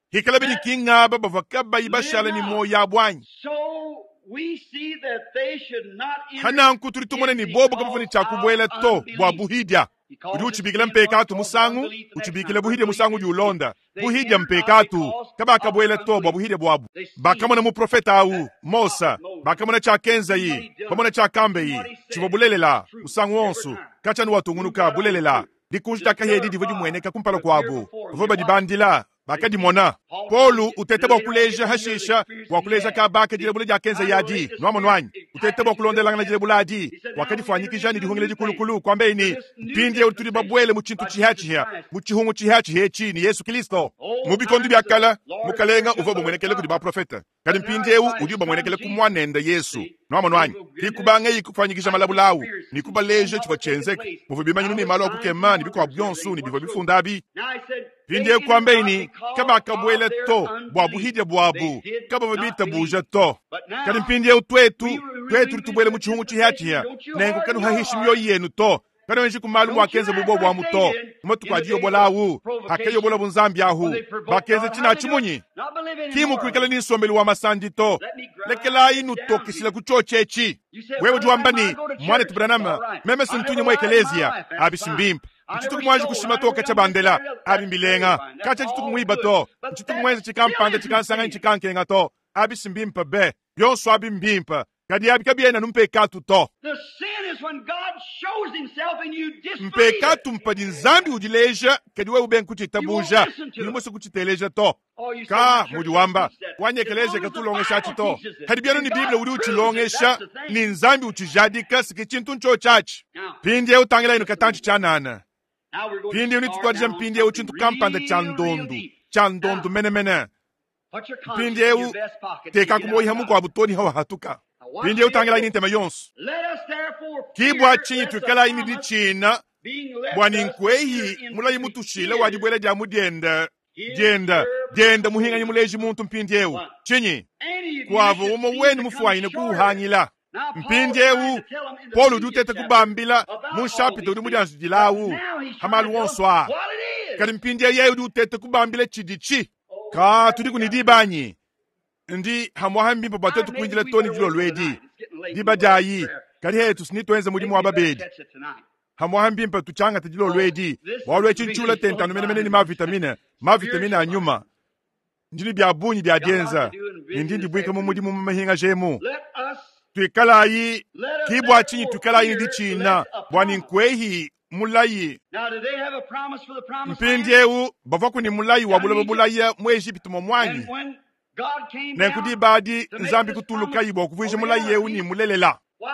Hikale bini kinga baba vakaba ibashala ni moya bwanyi. Hana nkuturi tumone ni bobo kama funi chakubwela to bwa buhidya. Udi uchibikila mpekatu musangu, uchibikila buhidya musangu di ulonda. Buhidya mpekatu, kaba kabwela to bwa buhidya bwabu. Bakamona mu profeta au, Mosa, bakamona cha kenza yi, bamona cha kambe yi, chivobulelela, musangu onsu, kacha ni watungunuka bulelela. Dikunji takahedi divo dimweneka kumpala kwabu. Voba dibandila, bakadimona. Paulu utete bwa kuleja hashisha, bwa kuleja kabaka dilebula dia kenza yadi, nwamo nwanyi. Utete bwa kulondelanga dilebula adi, wakadifanyikija ni dihungile dikulukulu kwambe ini mpindi utuli babwele mu chintu chihachiha, mu chihungu chihachiha echi ni Yesu Kristo. Mu bikondo byakala, mukalenga uva bumwenekele kudi ba profeta. Kadi mpindi eu udi bamwenekele ku mwanenda Yesu. Nwamo nwanyi. Hikubanga ikufanyikisha malabulawu, nikubaleje chifo chenzeka. Muvu bimanyinu ni malo akukema ni bikwa byonsu ni bivyo bifundabi. Mpindieu kuambaye ne, kabakabuela to bua buhidya buabu, kabavua bitabuja to. Kadi mpindieu tuetu, tuetu tubuele mu tshihungu tshihiatshihia, nenku kanuhahishi mioyo yenu to. Kanoenji ku malu muakenza bubo bwamu to. Mu matuku a diyobola awu, hakayobola bunzambi ahu, bakenza tshina tshimunyi. Ki mukuikala ni nsombelu wa masandi to. Lekelayi nutokeshila ku tshotshetshi. Wewe udi wamba ne, mwanetu Branham, meme sintunye mu ekelezia, abi simbimpe. Nchituku mwanji kushima to kacha bandela, abi mbilenga. Kacha chituku mwiba to, nchituku mwenza chikampanda chikansanga nchikankenga to, abi simbimpe be. Yonso abi mbimpe. Kadi abi kabiena numpekatu to. The sin is when God shows himself and you disbelieve it. Mpekatu mpadi nzambi udileja kadi wewe ube nkuchitabuja ni musu kuchiteleja to. Oh, you say Ka my church mudi wamba teaches that. wanyekeleje As long as the katulongesha Bible chito. teaches it, Kadi byanu ni and God Biblia udi proves it, uchilongesha that's the thing. ni nzambi uchijadika siki chintu ncho chachi. Now, Pindi eu tangela inu katanchi chanana. now we're going to Pindi uni start tutwadija now on mpindi eu something chintu kampanda cha real, real ndondu. deep. Cha ndondu Now, menemene. put your conscience Pindi in eu your vest pocket and teka get out kumoyiha of mukwabu toni hawa hatuka. Now watch Pindi eu this. tangela ini ntema yonso. Let us therefore Kibwa fear chinyi lest the twikala ini promise dichina being left bwa us ninkwehi enter into mulayi mutushila wa his dibwela dya mudyenda his dyenda purpose. dyenda muhinganyi muleji muntu mpindi eu What? chinyi Any of you kwavo should umo seem wenu to come mufuanyine short of it. kuuhangila Now Paul is mpindi trying eu to tell them in the Paulo udi previous uteta chapter kubambila about mu all nshapita these udi things, mudianzidilawu but now he's trying to hamalu tell them wonso a what it is. kadi mpindi yeye udi uteta kubambila chidichi Oh, ka tudi kunidibanyi ndi hamwaha mbimpa bwa I twetu maybe kuinjila we toni better dilo wait for lwedi tonight. It's getting late in diba the Lord's dyayi Prayer. kadi hetu sinitwenze mudimu Maybe wa we better babedi catch it tonight. hamwaha mbimpa tuchangata dilo Oh, lwedi this is bwalwechi nchula really so tentanu menemene ni fine. mavitamine mavitamine Spiritual a nyuma ndili bya bunyi bya Got a lot dyenza to do and busy nindi this ndibwika mu afternoon. mudimu mu mahinga jemu Let us twikalayi let us kibwa chinyi therefore twikalayi fear ndi china lest a bwa promise. ninkwehi mulayi Now, do they have a promise for the promised land? mpindiewu bava kuni mulayi wa Down buloba Egypt. bulaya mu Egypt momwanyi And when God came nenku down dibadi to make nzambi this kutulukayi promise bwa kuvuija a mulayi eu ni reality, mulelela why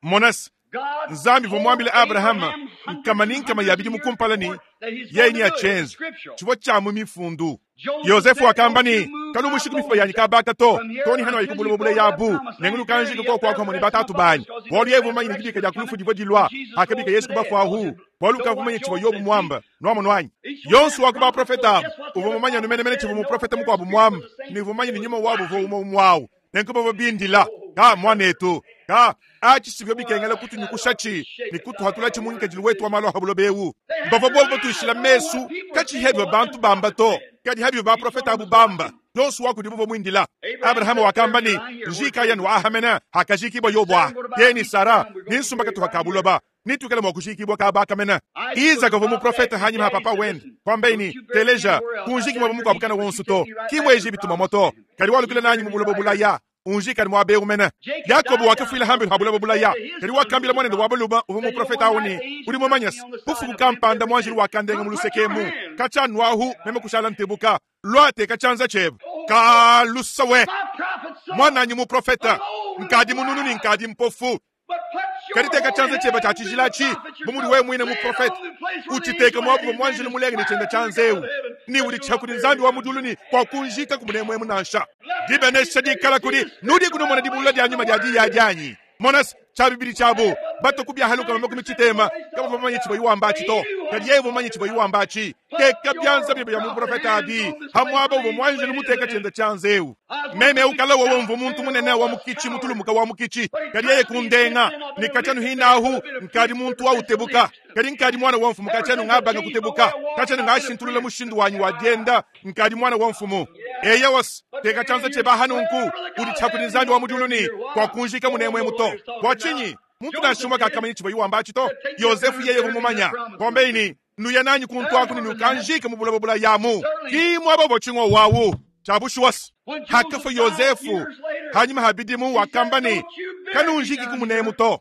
monasi God nzambi told vomwambile Abrahama Abraham hundreds nkama and ni nkama hundreds ya of bidimu years kumpala ni before that he's yeye going ni to do it. It's achenza scriptural. chivwa chamu mifundu Joseph Yosefu said, Don't akamba you ni move my kalumushika mifupa bones yanyi kabaka to from here toni hano until you ayikubulaba go bule to that yabu promised land. nengulu kanjika Bury ko up there kwakwa the muni rest of my batatu bones banyi because he knew bwalu the yevu manyi resurrection nidibika was lya coming kulufu divwa when dilwa Jesus akabika rose Yesu from the dead. kubafu ahu Because bwalu know kavu what manyi chivwa Job yobu said. See, mwamba nwamo nwanyi each one of yonso them wakuba prophets profeta was abu just what the uvo other mumanya prophet numenemene said, chivwa and know muprofeta their mukwabu spirit was mwamba the same nivu manyi spirit ni was nyuma wabu vo lying. umo mwawu nenkuba bindila ka mwanetu ka achisivyo bikengela kutunyukushachi nikutuhatula chimunkajili wetu wa malo habulobewu They had bava their bobo eyes tuishila on what mesu people were saying, kachihebyo but what bantu them bamba prophets to said. kadi habyo Each one baprofeta was abu a bamba prophet. yonsu wakudibo mwindila Abraham Abrahamu said, wakamba Bury ni me right here where njika yanu Joseph is. ahamena hakajikibwa Sarah, yobwa go to about a yeni week Sara down. We're going to be ninsumba buried katuha right here. kabuloba nitukele mwakujikibwa kabakamena Isaac was Isaka vo about that. muprofeta His hanyuma daddy papa said, wende Listen, kwambaini don't you bury me teleja anywhere else. Out kunjikibwa down here in mukwabukana Egypt, but you wonsu take to me right kimwe back to the Egypt promised momoto land. kali walukila You nanyi bury me mubuloba right here. bulaya unjikani mwabeumena Jacob Yakobo died down wakafwila there hambi habulaba and said bulaya to his kali son who wakambila was a mwanende prophet, wabaluba uvo said, You know, muprofeta one night auni the angel uli touched me mwamanyasi on the side bufuku of him kampanda every mwanjili day. wakandenga Come put your mulusekemu hand. kachanwahu meme kushala ntebuka lwate kachanza chebo Oh, kalusawe my prophet saw mwananyi muprofeta I'm old and nkadi mununu ni blind. nkadi mpofu But put your kaliteka holy chanza cheba cha hand through the chijilachi prophet mumuli yourself. we mwine Lay it muprofeta on the place where the uchiteke angel had mwabu his hand mwanjili and mulenge ni swear chenda to the God chanzeu of heaven ni that uli you'll not chakuli bury nzambi me wa down here. muduluni kwa kunjika kumunemwemu nansha Let dibenesha me dikala see kuli the nudi spiritual kunomona dibulula dya revelation of nyuma the dya diya word. dyanyi monasi cha bibili chabo bato kubyahaluka mamakumi chitema kaba vamanye chibo iwamba They chito knew what kadi he yeye was vamanye talking chibo about. iwamba chi Put teka your byanza bibyo bya prophet muprofeta hands adi on this place hamwaba where the uvo angel mwanjili laid his muteka hand. chenda chanzeu I was one meme of the ukala wowo stout mvu muntu men munene wa robust mukichi coward. mutulumuka wa mukichi But he kadi yeye touched me and since kundenga then I've been ni a kachanu weak man, hinahu I've been a nkadi priest muntu ever wa since the utebuka least. kadi nkadi mwana wa mfumu Ever kachanu since I ngabanga changed my way kutebuka of walking, kachanu I've been a ngashintulula priest. mushindu wanyu wa dyenda nkadi mwana wa mfumu eya wasi But teka your chanza hand, cheba hanunku swear to the uli God of chakuli heaven, nzambi you wa won't bury me muduluni here. kwa Why? kunjika Oh, munemwe no muto lawyer's talking kwa now. chinyi muntu Joseph nashumwa did. kakamanya chibo iwamba chito Said, take me up Yosefu there and yeye bury me in that vumumanya promised land. kwambeini nuya nanyi kuntu There aku was that. ninukanjika mubulabo bula yamu Certainly, kimwa babo ching'o wawu chabushuwasi when Joseph hakafa died Yosefu years later, hanyuma habidimu he said, wakamba ni Don't you bury me kanunjiki down kumunemu here. to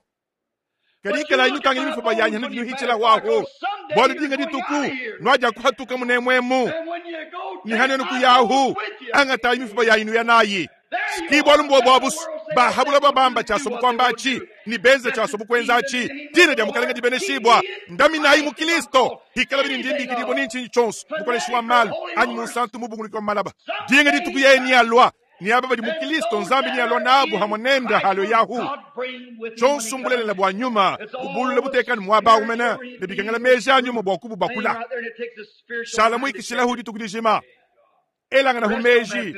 But you kadikala look at inukangila my mifupa yanyi bones when you hanukinuhichila pass by, waho because someday bwali you're dinga going out dituku of here. nwaja kuhatuka munemwemu And when you go, ni take hanenu my bones kuyahu with you. angatayi mifupa yayinu yanayi There you sikibwa are. lumbo Let the bwabusu world say what they bahabula want babamba to do chasobu what they want to kwambachi do. ni benze Blessed chasobu be the kwenzachi name of dina the lya mukalenga Lord. He dibeneshibwa is ndaminayi mu Christ in my Kristo soul. hikala bili Anything ndimbi of ni nchinyi chonso mukoleshi wa fanatical malu holy anyi horse. munsantu mubunguliki wa malaba dinga Someday dituku he's yeye ni coming. alwa Ni aba badi mu Kristo Nzambi ni alwa nabu hamwe nenda halo yahu. Tshonso mbulelela bwa nyuma ubulule butekani mwaba umena ne bikangala meja nyuma bwa kubu bakula. Shala mwikishila hudi tukudijima. Elanga na humeji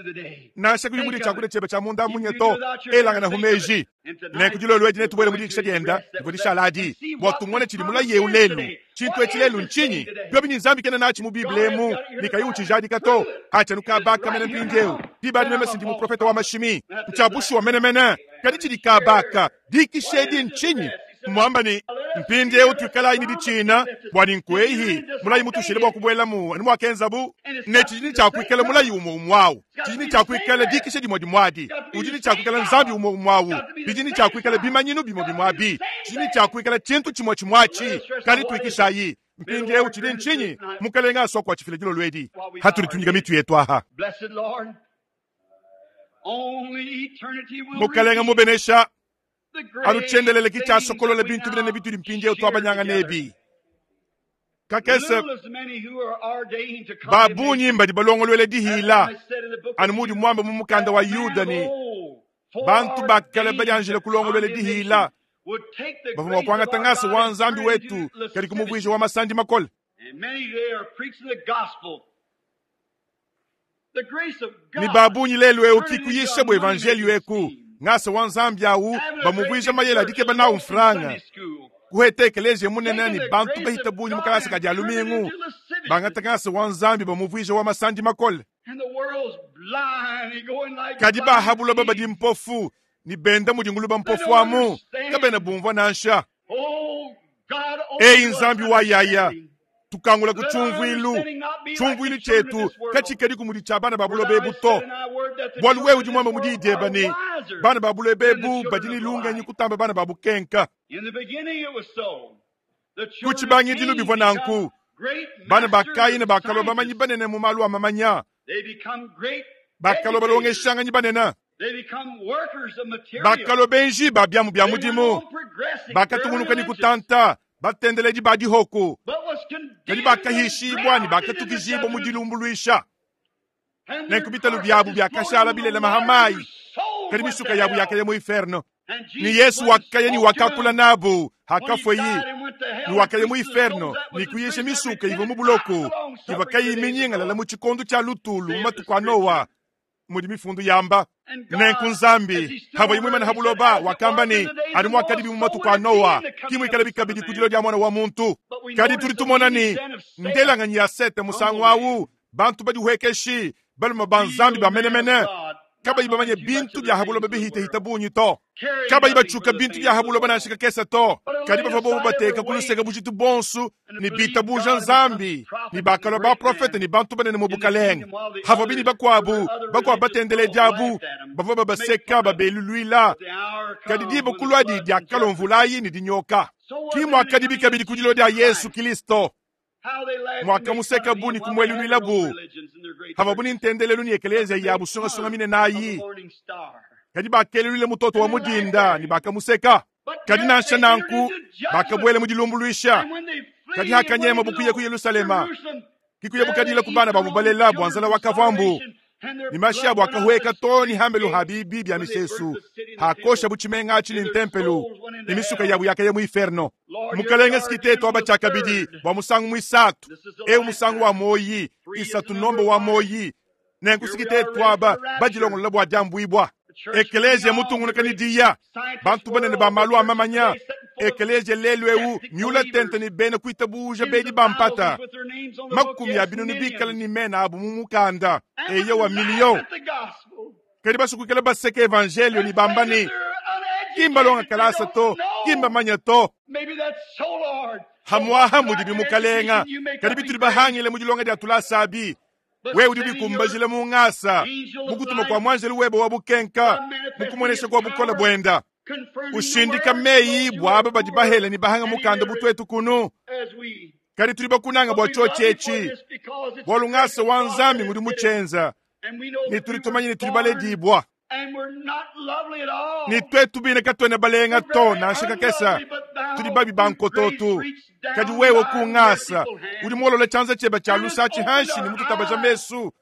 nansha kuli mudi chakule chebe cha munda munyeto elanga na humeji ne kujilo lweji ne tubwele mudi kishadienda ndivyo shaladi bwa tumone chili mula yeu lelu chintu echilelu nchinyi byobi ni nzambi kena nachi mu Biblia emu nikayu chijadi kato acha nukabaka mene mpindeu dibadi meme sindi mu profeta wa mashimi mchabushi wa mene mene kadi chili kabaka dikishedi nchinyi mwamba ni mpindeu twikala ini dichina bwani nkwehi mulayi mutushile bwa kubwelamu ani mwakenzabu ne chijini chakwikala mulayi umwe umwawu chijini chakwikala dikishe dimwe dimwadi ujini chakwikala nzambi umwe umwawu bijini chakwikala bimanyinu bimwe bimwabi chijini chakwikala chintu chimwe chimwachi kali twikishayi mpindeu chili nchinyi mukalenga aswa chifile jilo lwedi hatulitunyika mitu yetu aha mukalenga mubenesha aluchendelele kichasokolola bintu binene bituli mpindeu twabanyanga nebi kakese babunyi mbadi balongolwele dihila anu mudi mwamba mu mukanda wa Yuda ni bantu bakale badianjile kulongolwele dihila bavuma kwangata ngasa wa nzambi wetu kali kumubwisha wa masandi makole ni babunyi lelu eu kikuyisha bwa evangelio eku ngasa wa nzambi awu bamubwisha mayela dikeba nawu mfranga kuheta ekeleziya munene ni bantu bahita bunyi mukalasa kadi alumingu bangata ngasa wa nzambi bamubwisha wa masandi makole kadi bahabuloba badi mpofu ni benda mudinguluba mpofu amu kabena bumvwa nansha eyi nzambi wa yaya tukangula ku chumvwilu chumvwilu chetu kachikadi kumudi cha bana babulo bebu to bwalu wewe udi mwamba mudi ideba ni bana babulo bebu badini lungenyi kutamba bana babukenka kuchibangidilu bivwa nanku bana bakayina bakalo bamanyi banene mu malu amamanya bakalo balongeshanganyi banene bakalo benji babyamu bya mudimu bakatunguluka ni kutanta batendeledi ba dihoko kadi bakahishibwa ni bakatukijibwa mu dilumbuluisha nenku bitalu byabu byakashala bilela mahamayi kadi misuka yabu yakaya mu inferno ni Yesu wakaya ni wakakula nabu hakafweyi ni wakaya mu inferno ni kuyisha misuka ivo mu buloko ivakayiminyiŋalala mu chikondo cha lutulu mu matuku a Noa mudi mifundu yamba nenku nzambi habo imwe mana habuloba wakamba ni ali mwakadibi mu matuku a Noa kimwikala bikabidi kudilo dia mwana wa muntu kadi tuli tumona ni ndelanganyi ya sete musangu awu bantu badi huekeshi baluma banzambi bamenemene kabayi bamanye bintu bya habuloba bihitahita bunyi to kabayi bachuka bintu bya habuloba nanshika kesa to kadi bava bobo bateka kuluseka bujitu bonsu ni bita buja nzambi ni bakalo ba profete ni bantu banene mu bukalenge hava bini bakwabu bakwa batendele diabu bava babaseka babelulwila kadi diba kulwadi diakalo mvulayi ni dinyoka kimwakadi bikabidi kudilo dia Yesu Kristo mwakamuseka bu ni kumwelulwila bu hava buni ntendelelu ni ekelezia ya busungasunga mine nayi kadi bakelelwile mutoto wa mudinda ni bakamuseka kadi nansha nanku bakabwele mudilumbuluisha kadi hakanyema bukuye ku Yerusalema kikuye bukadila ku bana babubalela bwanzala wakavambu ni mashi abo akahweka to ni hambelu habibi bya misesu hakosha buchimenga achili ntempelu ni misuka yabu yakaye mu inferno mukalenge sikiteto aba chakabidi bwa musangu mwisatu eu musangu wa moyi isatu nombo wa moyi nenku sikiteto aba badilongolola bwa jambwibwa ekelezia mutungunuka ni diya bantu banene ba malu amamanya ekelezia lelu eu miula tente ni bena kuitabuja bedi bampata makumi ya binunu bikala ni mena abu mu mukanda eye wa milio kadi basukukela baseka evangelio ni bambani kimba longa kalasa to kimba manya to hamwaha mudi bimukalenga kadi bituli bahangile mudilonga dia tulasabi wewe udi bikumbajile mu ngasa mukutuma kwa mwanjeli webe wa bukenka mukumonesha kwa bukola bwenda ushindika meyi bwaba badi bahele ni bahanga mukanda butwetu kunu kadi tuli bakunanga bwa chochechi bwa lungasa wa nzambi ngudi muchenza ni tuli tumanye ni tuli baledibwa ni twetu bine katwene balenga to nansha kakesa tuli babi bankototu kadi wewe kungasa uli mwolola chanza cheba cha lusa chihanshi ni mututabaja mesu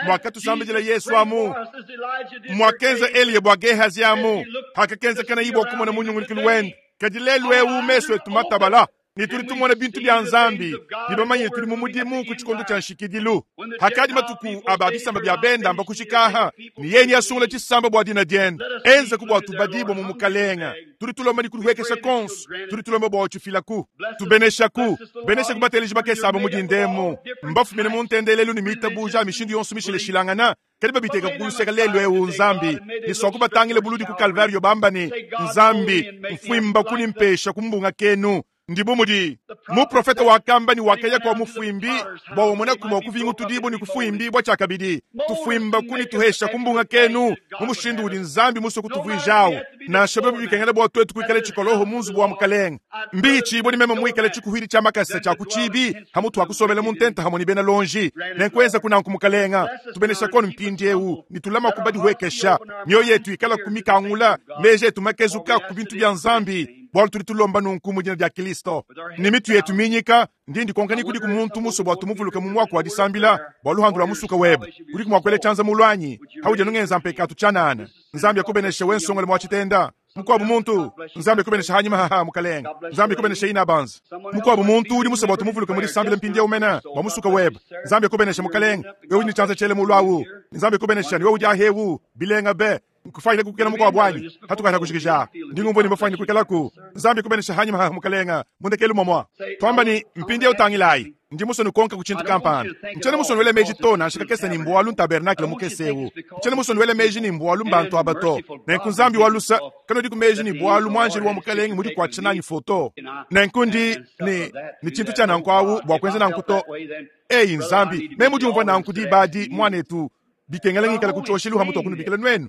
Mwakatusambidila Yesu amu, mwakenza Eliya bua Gehazi amu, hakakenzekana bua kumona munyungulukilu wende. Kadi lelu ewu mesu etu matabala ne tudi tumona bintu bya Nzambi ne bamanye tuli mu mudimu ku tshikondo tshia nshikidilu. Hakadi matuku aba bisamba bya benda amba kushikaha ne yeni asungula tshisamba bua dina diende enza ku bua tubadibwa mu mukalenga. Tudi tulomba ni kulihuekesha konso, tudi tulomba bua utshifilaku tubeneshaku benesha kubateleji bakesaba mu dindemu mbafumine mu ntendelelu ne mitabuja mishindu yonso mishileshilangana kadi babiteka kuluseka lelu ewu Nzambi niswa kubatangile buludi ku Kalvario bamba ni Nzambi mfwimba kunimpesha kumbunga kenu. Ndibu mudi muprofeta wakamba ni wakaya kwa mufwimbi bwa omona kumwa kuvingu tudibu ni kufwimbi bwa chakabidi tufwimba kuni tuhesha kumbunga kenu mumushindu udi Nzambi muso kutuvwijao na shababu bikengela bwa twetu kuikale chikoloho munzu bwa mukalenga mbichi boni mema mwikale chikuhiri cha makasa cha kuchibi hamutu akusomela muntenta hamoni bena lonji nenkweza kunanku mukalenga tubenesha kono mpindi ewu nitulama kubadi huekesha mioyo yetu ikala kumikangula meje yetu makezuka kubintu bya Nzambi bwalu tuli tulomba nunku mu dina dia Kristo ni mitu yetu minyika ndi ndikonkani kudi ku muntu muso bwa tumuvuluka mu mwaka wa disambila bwa luhandu lwa musuka webe kudi kumwakwele chanza mulwanyi hauja nungenza mpekatu chanana Nzambi akubeneshe wensongole mwa chitenda mukwabu muntu Nzambi akubeneshe hanyuma haha mukalenga Nzambi akubeneshe ina banza mukwabu muntu udi muso bwa tumuvuluka mu disambila mpindi umena bwa musuka webe Nzambi akubeneshe mukalenga wewe udi chanza chele mulwawu Nzambi akubeneshe ni wewe udi ahewu bilenga be nkufaile kukela mukwabu wanyi hatukana kushikisha ndingumbo ni mafanya kukelaku Nzambi kubenesha hanyuma ha mukalenga mundekelu momwa twamba ni mpindi utangilai ndi muso nukonka kuchintu kampana nchene muso nwele meji tona nshikakesa ni mbwalu ntabernakle mukesewu nchene muso nwele meji ni mbwalu mbantu abato nenku Nzambi walusa kano diku meji ni bwalu mwanjeli wa mukalenga mudi kwacha nanyi foto nenku ndi ni ni chintu cha nankwawu bwa kwenza nankuto eyi Nzambi me mudi umva nanku dibadi mwanetu bikengela ngikala kuchoshelu hamutu akunubikela nwenu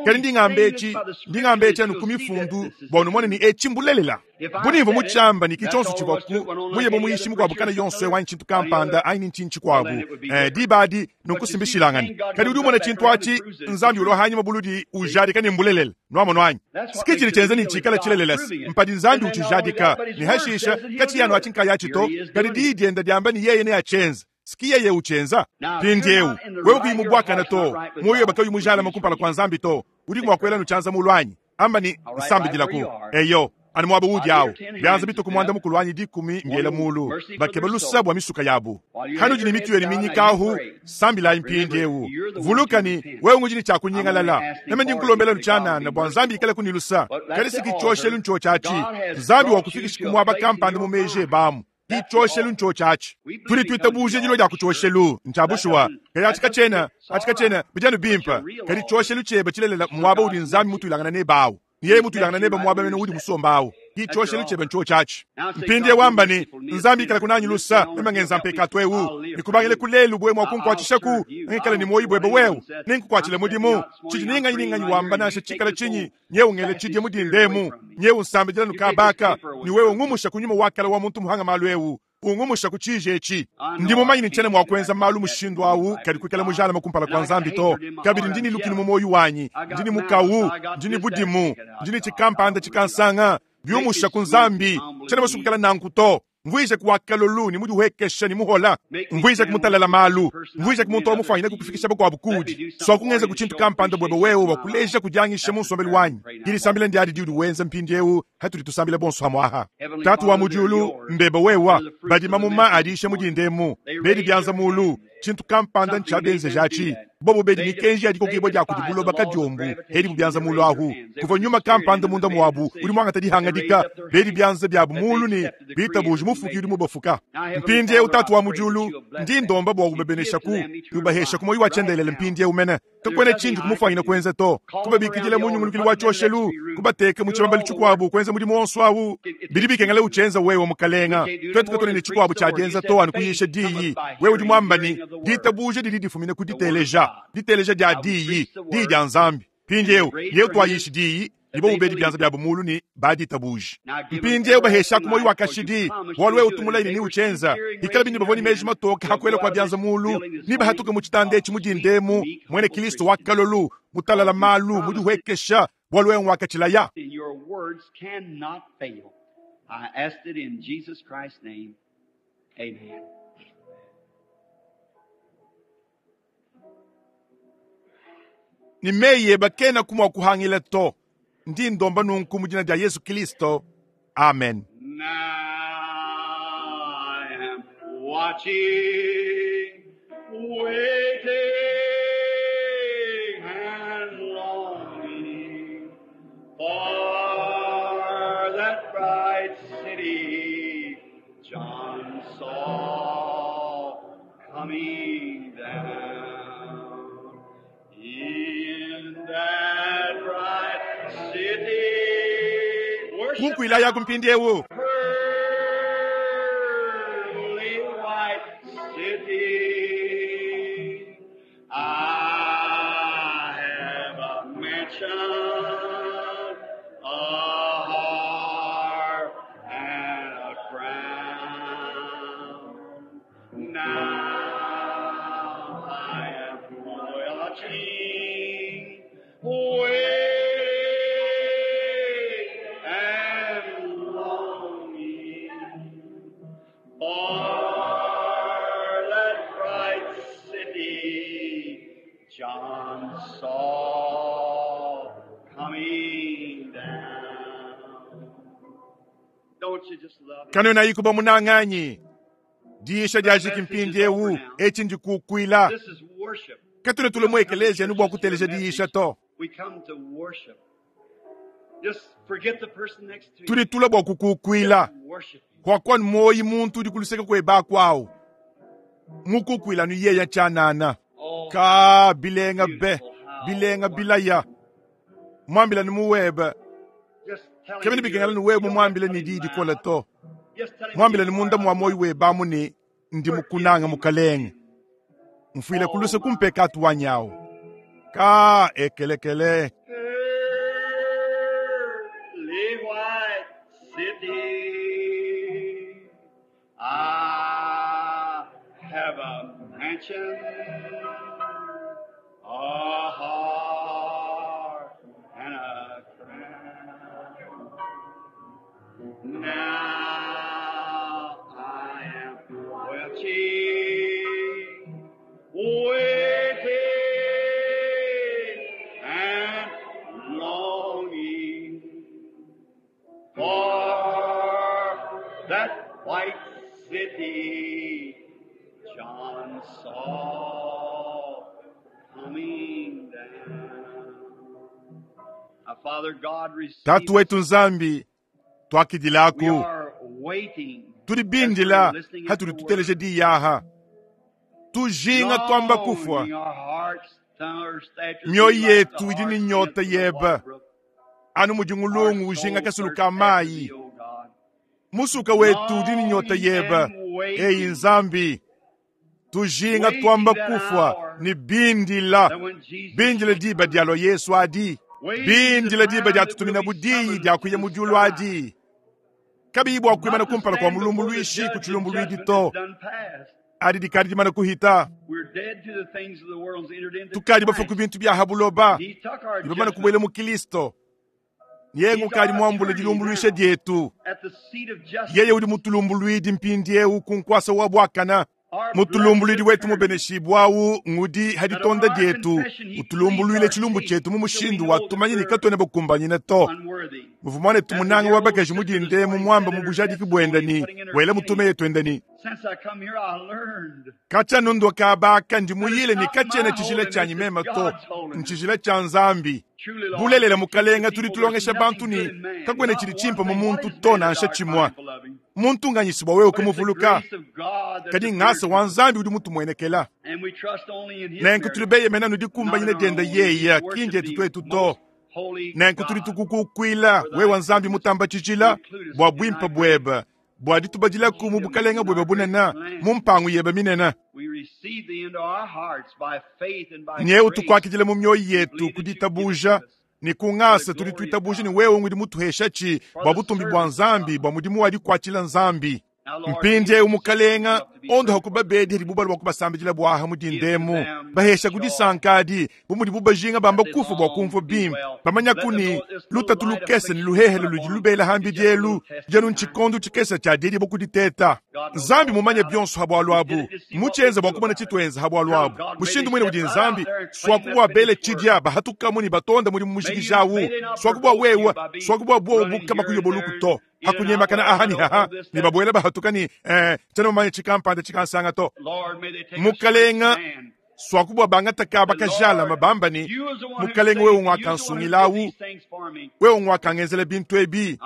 kali ndingambe echi ndingambe echi anu kumifundu bwa numone ni echi mbulelela bunimvo muchamba ni kichonso chibwaku muyebo muyishimu kwabu kana yonso wanyi chintu kampanda aini nchinchi kwabu eh, dibadi nunkusimbishilangani kali udi umona chintu achi Nzambi ulo hanyuma buludi ujadika ni mbulelela nwamo nwanyi sikichili chenze ni chikala chilelelesi mpadi Nzambi uchijadika ni hashisha kati yanu achinkaya chito kali didienda dyamba ni yeye ne achenza sikiye ye uchenza pindiewu wewe kuyimubwakana to moyo bakayu mujala makumpala kwa Nzambi to udi mwakwela nuchanza mulwanyi amba ni nsambidilaku eyo ani mwaba udi awo byanza bituku mwanda mukulwanyi dikumi mbyela mulu bakeba lusa bwa misuka yabu hanu jini mitu yeni minyikahu sambilayi mpindiewu vulukani wewe ngujini chakunyingalala name ndinkulombela nuchanana bwa Nzambi ikala kunilusa kali sikichoshelu ncho chachi Nzambi wakufikisha kumwaba kampanda mu meje bamu kichoshelu ncho chachi tuli twitabuje jilo lya kuchoshelu nchabushuwa kali achika chena achika chena bijanu bimpa kali choshelu cheba chilelela mwaba udi Nzambi mutulangana ne bawo niye mutulangana neba mwaba mene udi musombawo kichoshelu cheba ncho chachi mpindie wamba ni Nzambi ikala kunanyi lusa emangenza mpekatu ewu nikubangile kulelu bwe mwakunkwachishaku ngikala ni moyi bwebe wewu ninkukwachile mudimu chiji ninganyi ninganyi wamba nashe chikala chinyi nyewu ngele chidye mudindemu nyewu nsambijila nukabaka ni wewe ngumusha kunyuma wakala wa muntu muhanga malu ewu ungumusha kuchije echi ndi mumanyi nchene mwakwenza malu mushindu awu kali kwikala mujala makumpala kwa Nzambi to kabili ndini lukini mu moyo wanyi ndini mukawu ndini budimu ndini chikampanda chikansanga byumusha ku Nzambi chene basukukala nanku to mvwije kuwakalolu ni mudi uhekesha ni muhola mvwije kumutalala malu mvwije kumuntu omufanyile kukufikisha bakwabu kudi so kungenza kuchintu kampanda bwebe wewe wakuleja kujangisha munsombeli wanyi dilisambila ndi adi diudi wenza mpindi ewu hatuli tusambile bonso hamwaha tatu wa mujulu mbebe wewa badi mamuma adishe mudindemu bedi byanza mulu chintu kampanda nchabenze jachi bobo bedi mikenji adiko kibo dia kudi buloba kadiombu hedi bubyanza mulu ahu kuva nyuma kampanda munda mwabu uli mwanga tadi hangadika bedi byanza byabu mulu ni bitabuji mufuki uli mubafuka mpindi utatu wa mujulu ndi ndomba bwa kubebenesha ku yubahesha kumoyi wachendelele mpindi umene tokwene chinju kumufanyina kwenza to kubabikidile munyungulukili wa choshelu kubateke muchibambali chikwabu kwenza mudimu wonso awu bidi bikengele uchenza wewe mukalenga twetu katone ni chikwabu chajenza to anu kuyisha diyi wewe udi mwambani ditabuje didi difumine kuditeleja diteleja dia diyi diyi dia Nzambi mpindi eu yeu twayishi diyi nibo ubedi byanza bya bumulu ni baditabuje mpindi eu bahesha kumoyi wakashidi walu wewe utumula ni uchenza ikala bindi bavoni meji matoka hakwela kwa byanza mulu ni bahatuka mu chitande echi mudindemu mwene Kristo wakalolu mutalala malu mudihwekesha walu wewe wakachilaya. Your words cannot fail. I asked it in Jesus Christ's name. Amen. Ni meyi eba kena kumwa kuhangila to. Ndi ndomba nunku mu dina dia Yesu Kristo. Amen. Now I am watching, waiting and longing for that bright city John saw coming down. In that bright city, worship Kukuila ya kumpindiewu. Pearly white city. I have a mansion, a harp, and a crown. Now I am watching, waiting, and longing for that bright city John saw coming down. Don't you just love it? Kano na ikuba munanganyi. Diisha dia jikimpindiewu echi ndikukuila. This is worship. Katune tule mu ekelezia nubu akuteleja diisha to. We come to worship. Just forget the person next to you. Tuli tula bwa kukukuila. Just worship him. Kwa kwa moyi muntu udi kuluseka kwe bakwao. Mukukuila nu yeya chanana. Oh, Ka bilenga be, bilenga bilaya. Mwambila ni muwebe. just tell him Kemene you- bikengala ni wewe you mwambile don't ni have to didi tell him kola loud. to. Just tell him Mwambile you ni munda are. mwa moyi we bamuni ndi mukunanga mukalenge. Mfwile kuluse kumpe katu wanyawo. Ka ekelekele. Pearly white city, I have a mansion, a heart, and a crown. Now I am watching, waiting, and longing for that white city John saw coming down. Our Father God receive Tatu wetu Nzambi We twakidilaku. are waiting. Tuli bindila hatuli tuteleje diyaha. Tujinga twamba kufwa. Longing our hearts thirst after Mioyo thee like the yetu idi ni hearts nyota in the yeba. water brook. Anu mujungulungu Our ujinga soul kasulu thirsts ka after thee, mayi. O God. Musuka wetu udi ni nyota yeba. Eyi Nzambi. Tujinga Waiting twamba that kufwa hour ni bindila. that when Jesus Bindila diba dialo Yesu adi. Waiting Bindila the diba time dia that tutumina we'll be budiyi summoned dia to kuya the mujulu sky. adi. Kabi bwa kuimana Not to kumpala kwa stand mulumbu before the lwishi judge and kuchilumbu lwidi judgment to. is done past. Adi dikadi dimana kuhita. We're dead to the things of the world and entered into Tukadi bafa Christ. ku bintu bya habuloba. He took our Ibamana judgment kubwela mu Kristo. Yengu He's kadi our mwambule attorney dilumbulwisha now dyetu. at the seat of justice. Yeye udi mutulumbulwidi mpindiewu kunkwasa wa bwakana. Our Mutulumbulwidi blessed wetu attorney. mubeneshibwawu ngudi That on haditonda our dyetu. confession he pleads Utulumbulwile our chilumbu case chetu mu till we mushindu know wa that tumanyini we're katwene bakumbanyine to. unworthy. Muvumwane As the tumunanga dear wa old bakaji sister this mudinde mu morning mwamba said mu in her bujadiki bwenda testimony, ni putting in her wele mutume penny, yetu enda ni. Since I come here, I learned Kacha nundo kabaka ndi that it's muyile ni not kachene my chijila holiness, chanyi it's mema to God's holiness. nchijila cha Nzambi. Truly, Lord, Bulelela we teach the mukalenga tuli people there's tulongesha nothing bantu good ni in man, kakwene not chili one chimpa mu thing. What muntu is man to that nansha thou art chimwa. mindful of him? Muntu nganyisibwa wewe But it's the kumuvuluka. grace of God that Kadi appeared ngasa to wa us. Nzambi udi mutumwenekela. And we trust only in his Nenku tuli merit, beyemena nudi not in kumbanyine our dienda own. We yeya worship kinje thee, tutwetu to. most holy Nenku tuli God, tukukukwila for wewa thy Nzambi goodness mutamba to chichila include us bwa in thy bwimpa great bweba bwa ditubajilaku mu kingdom bukalenga and bweba thy great bunena plan. mu mpangu yeba minena. We receive thee into our hearts by faith and by Nyewe grace. tukwakijile mu myoyo We yetu believe that you've given it kuditabusha to us ni for the kung'asa tuli glory of tuitabusha ni God, wewe ngwidi mutuheshachi for bwa the butumbi bwa service of Nzambi God. bwa mudimu wadikwachila Nzambi. Now, Lord, Mpindye heal the sick that come umukalenga up to Ondoha ku babedi hadibu balua kubasambidila bua mu dinda emu. Bahesha ku disanka adi, bu mudibu bajinga bamba kufa bua kumvua bimpe. Bamanyaku ne, lutatu lukese ne luhehele ludi lubela hambidi elu, dianu ntshikondo tshikese tshia diedibo ku diteta. Nzambi mumanye bionso ha bualu abu. Mutshienza bua kumona tshituenza ha bualu abu. Mushindu muine udi Nzambi, swaku bua bele tshidia bahatukamu ne batonda mudimu mujikijawu. Swaku bua wewe, swaku bua buobu kabakuyoboluku to. Hakunyemakana aha ni haha, ne babuela bahatuka ni, eh, tshiena mumanye tshikampanda tshikansanga to. Mukalenga, swaku bua bangata kaba kajalama bamba ni, Mukalenga wewe ngwakansungilawu, wewe ngwakangenzela bintu ebi.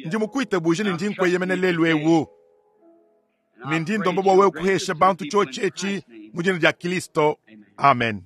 Ndi mukuitabuje ne ndi nkweyemena lelu ewu. Ne ndi ndomba bua wewe kuhesha bantu tshiotshi etshi mu dina dia Kristo. Amen.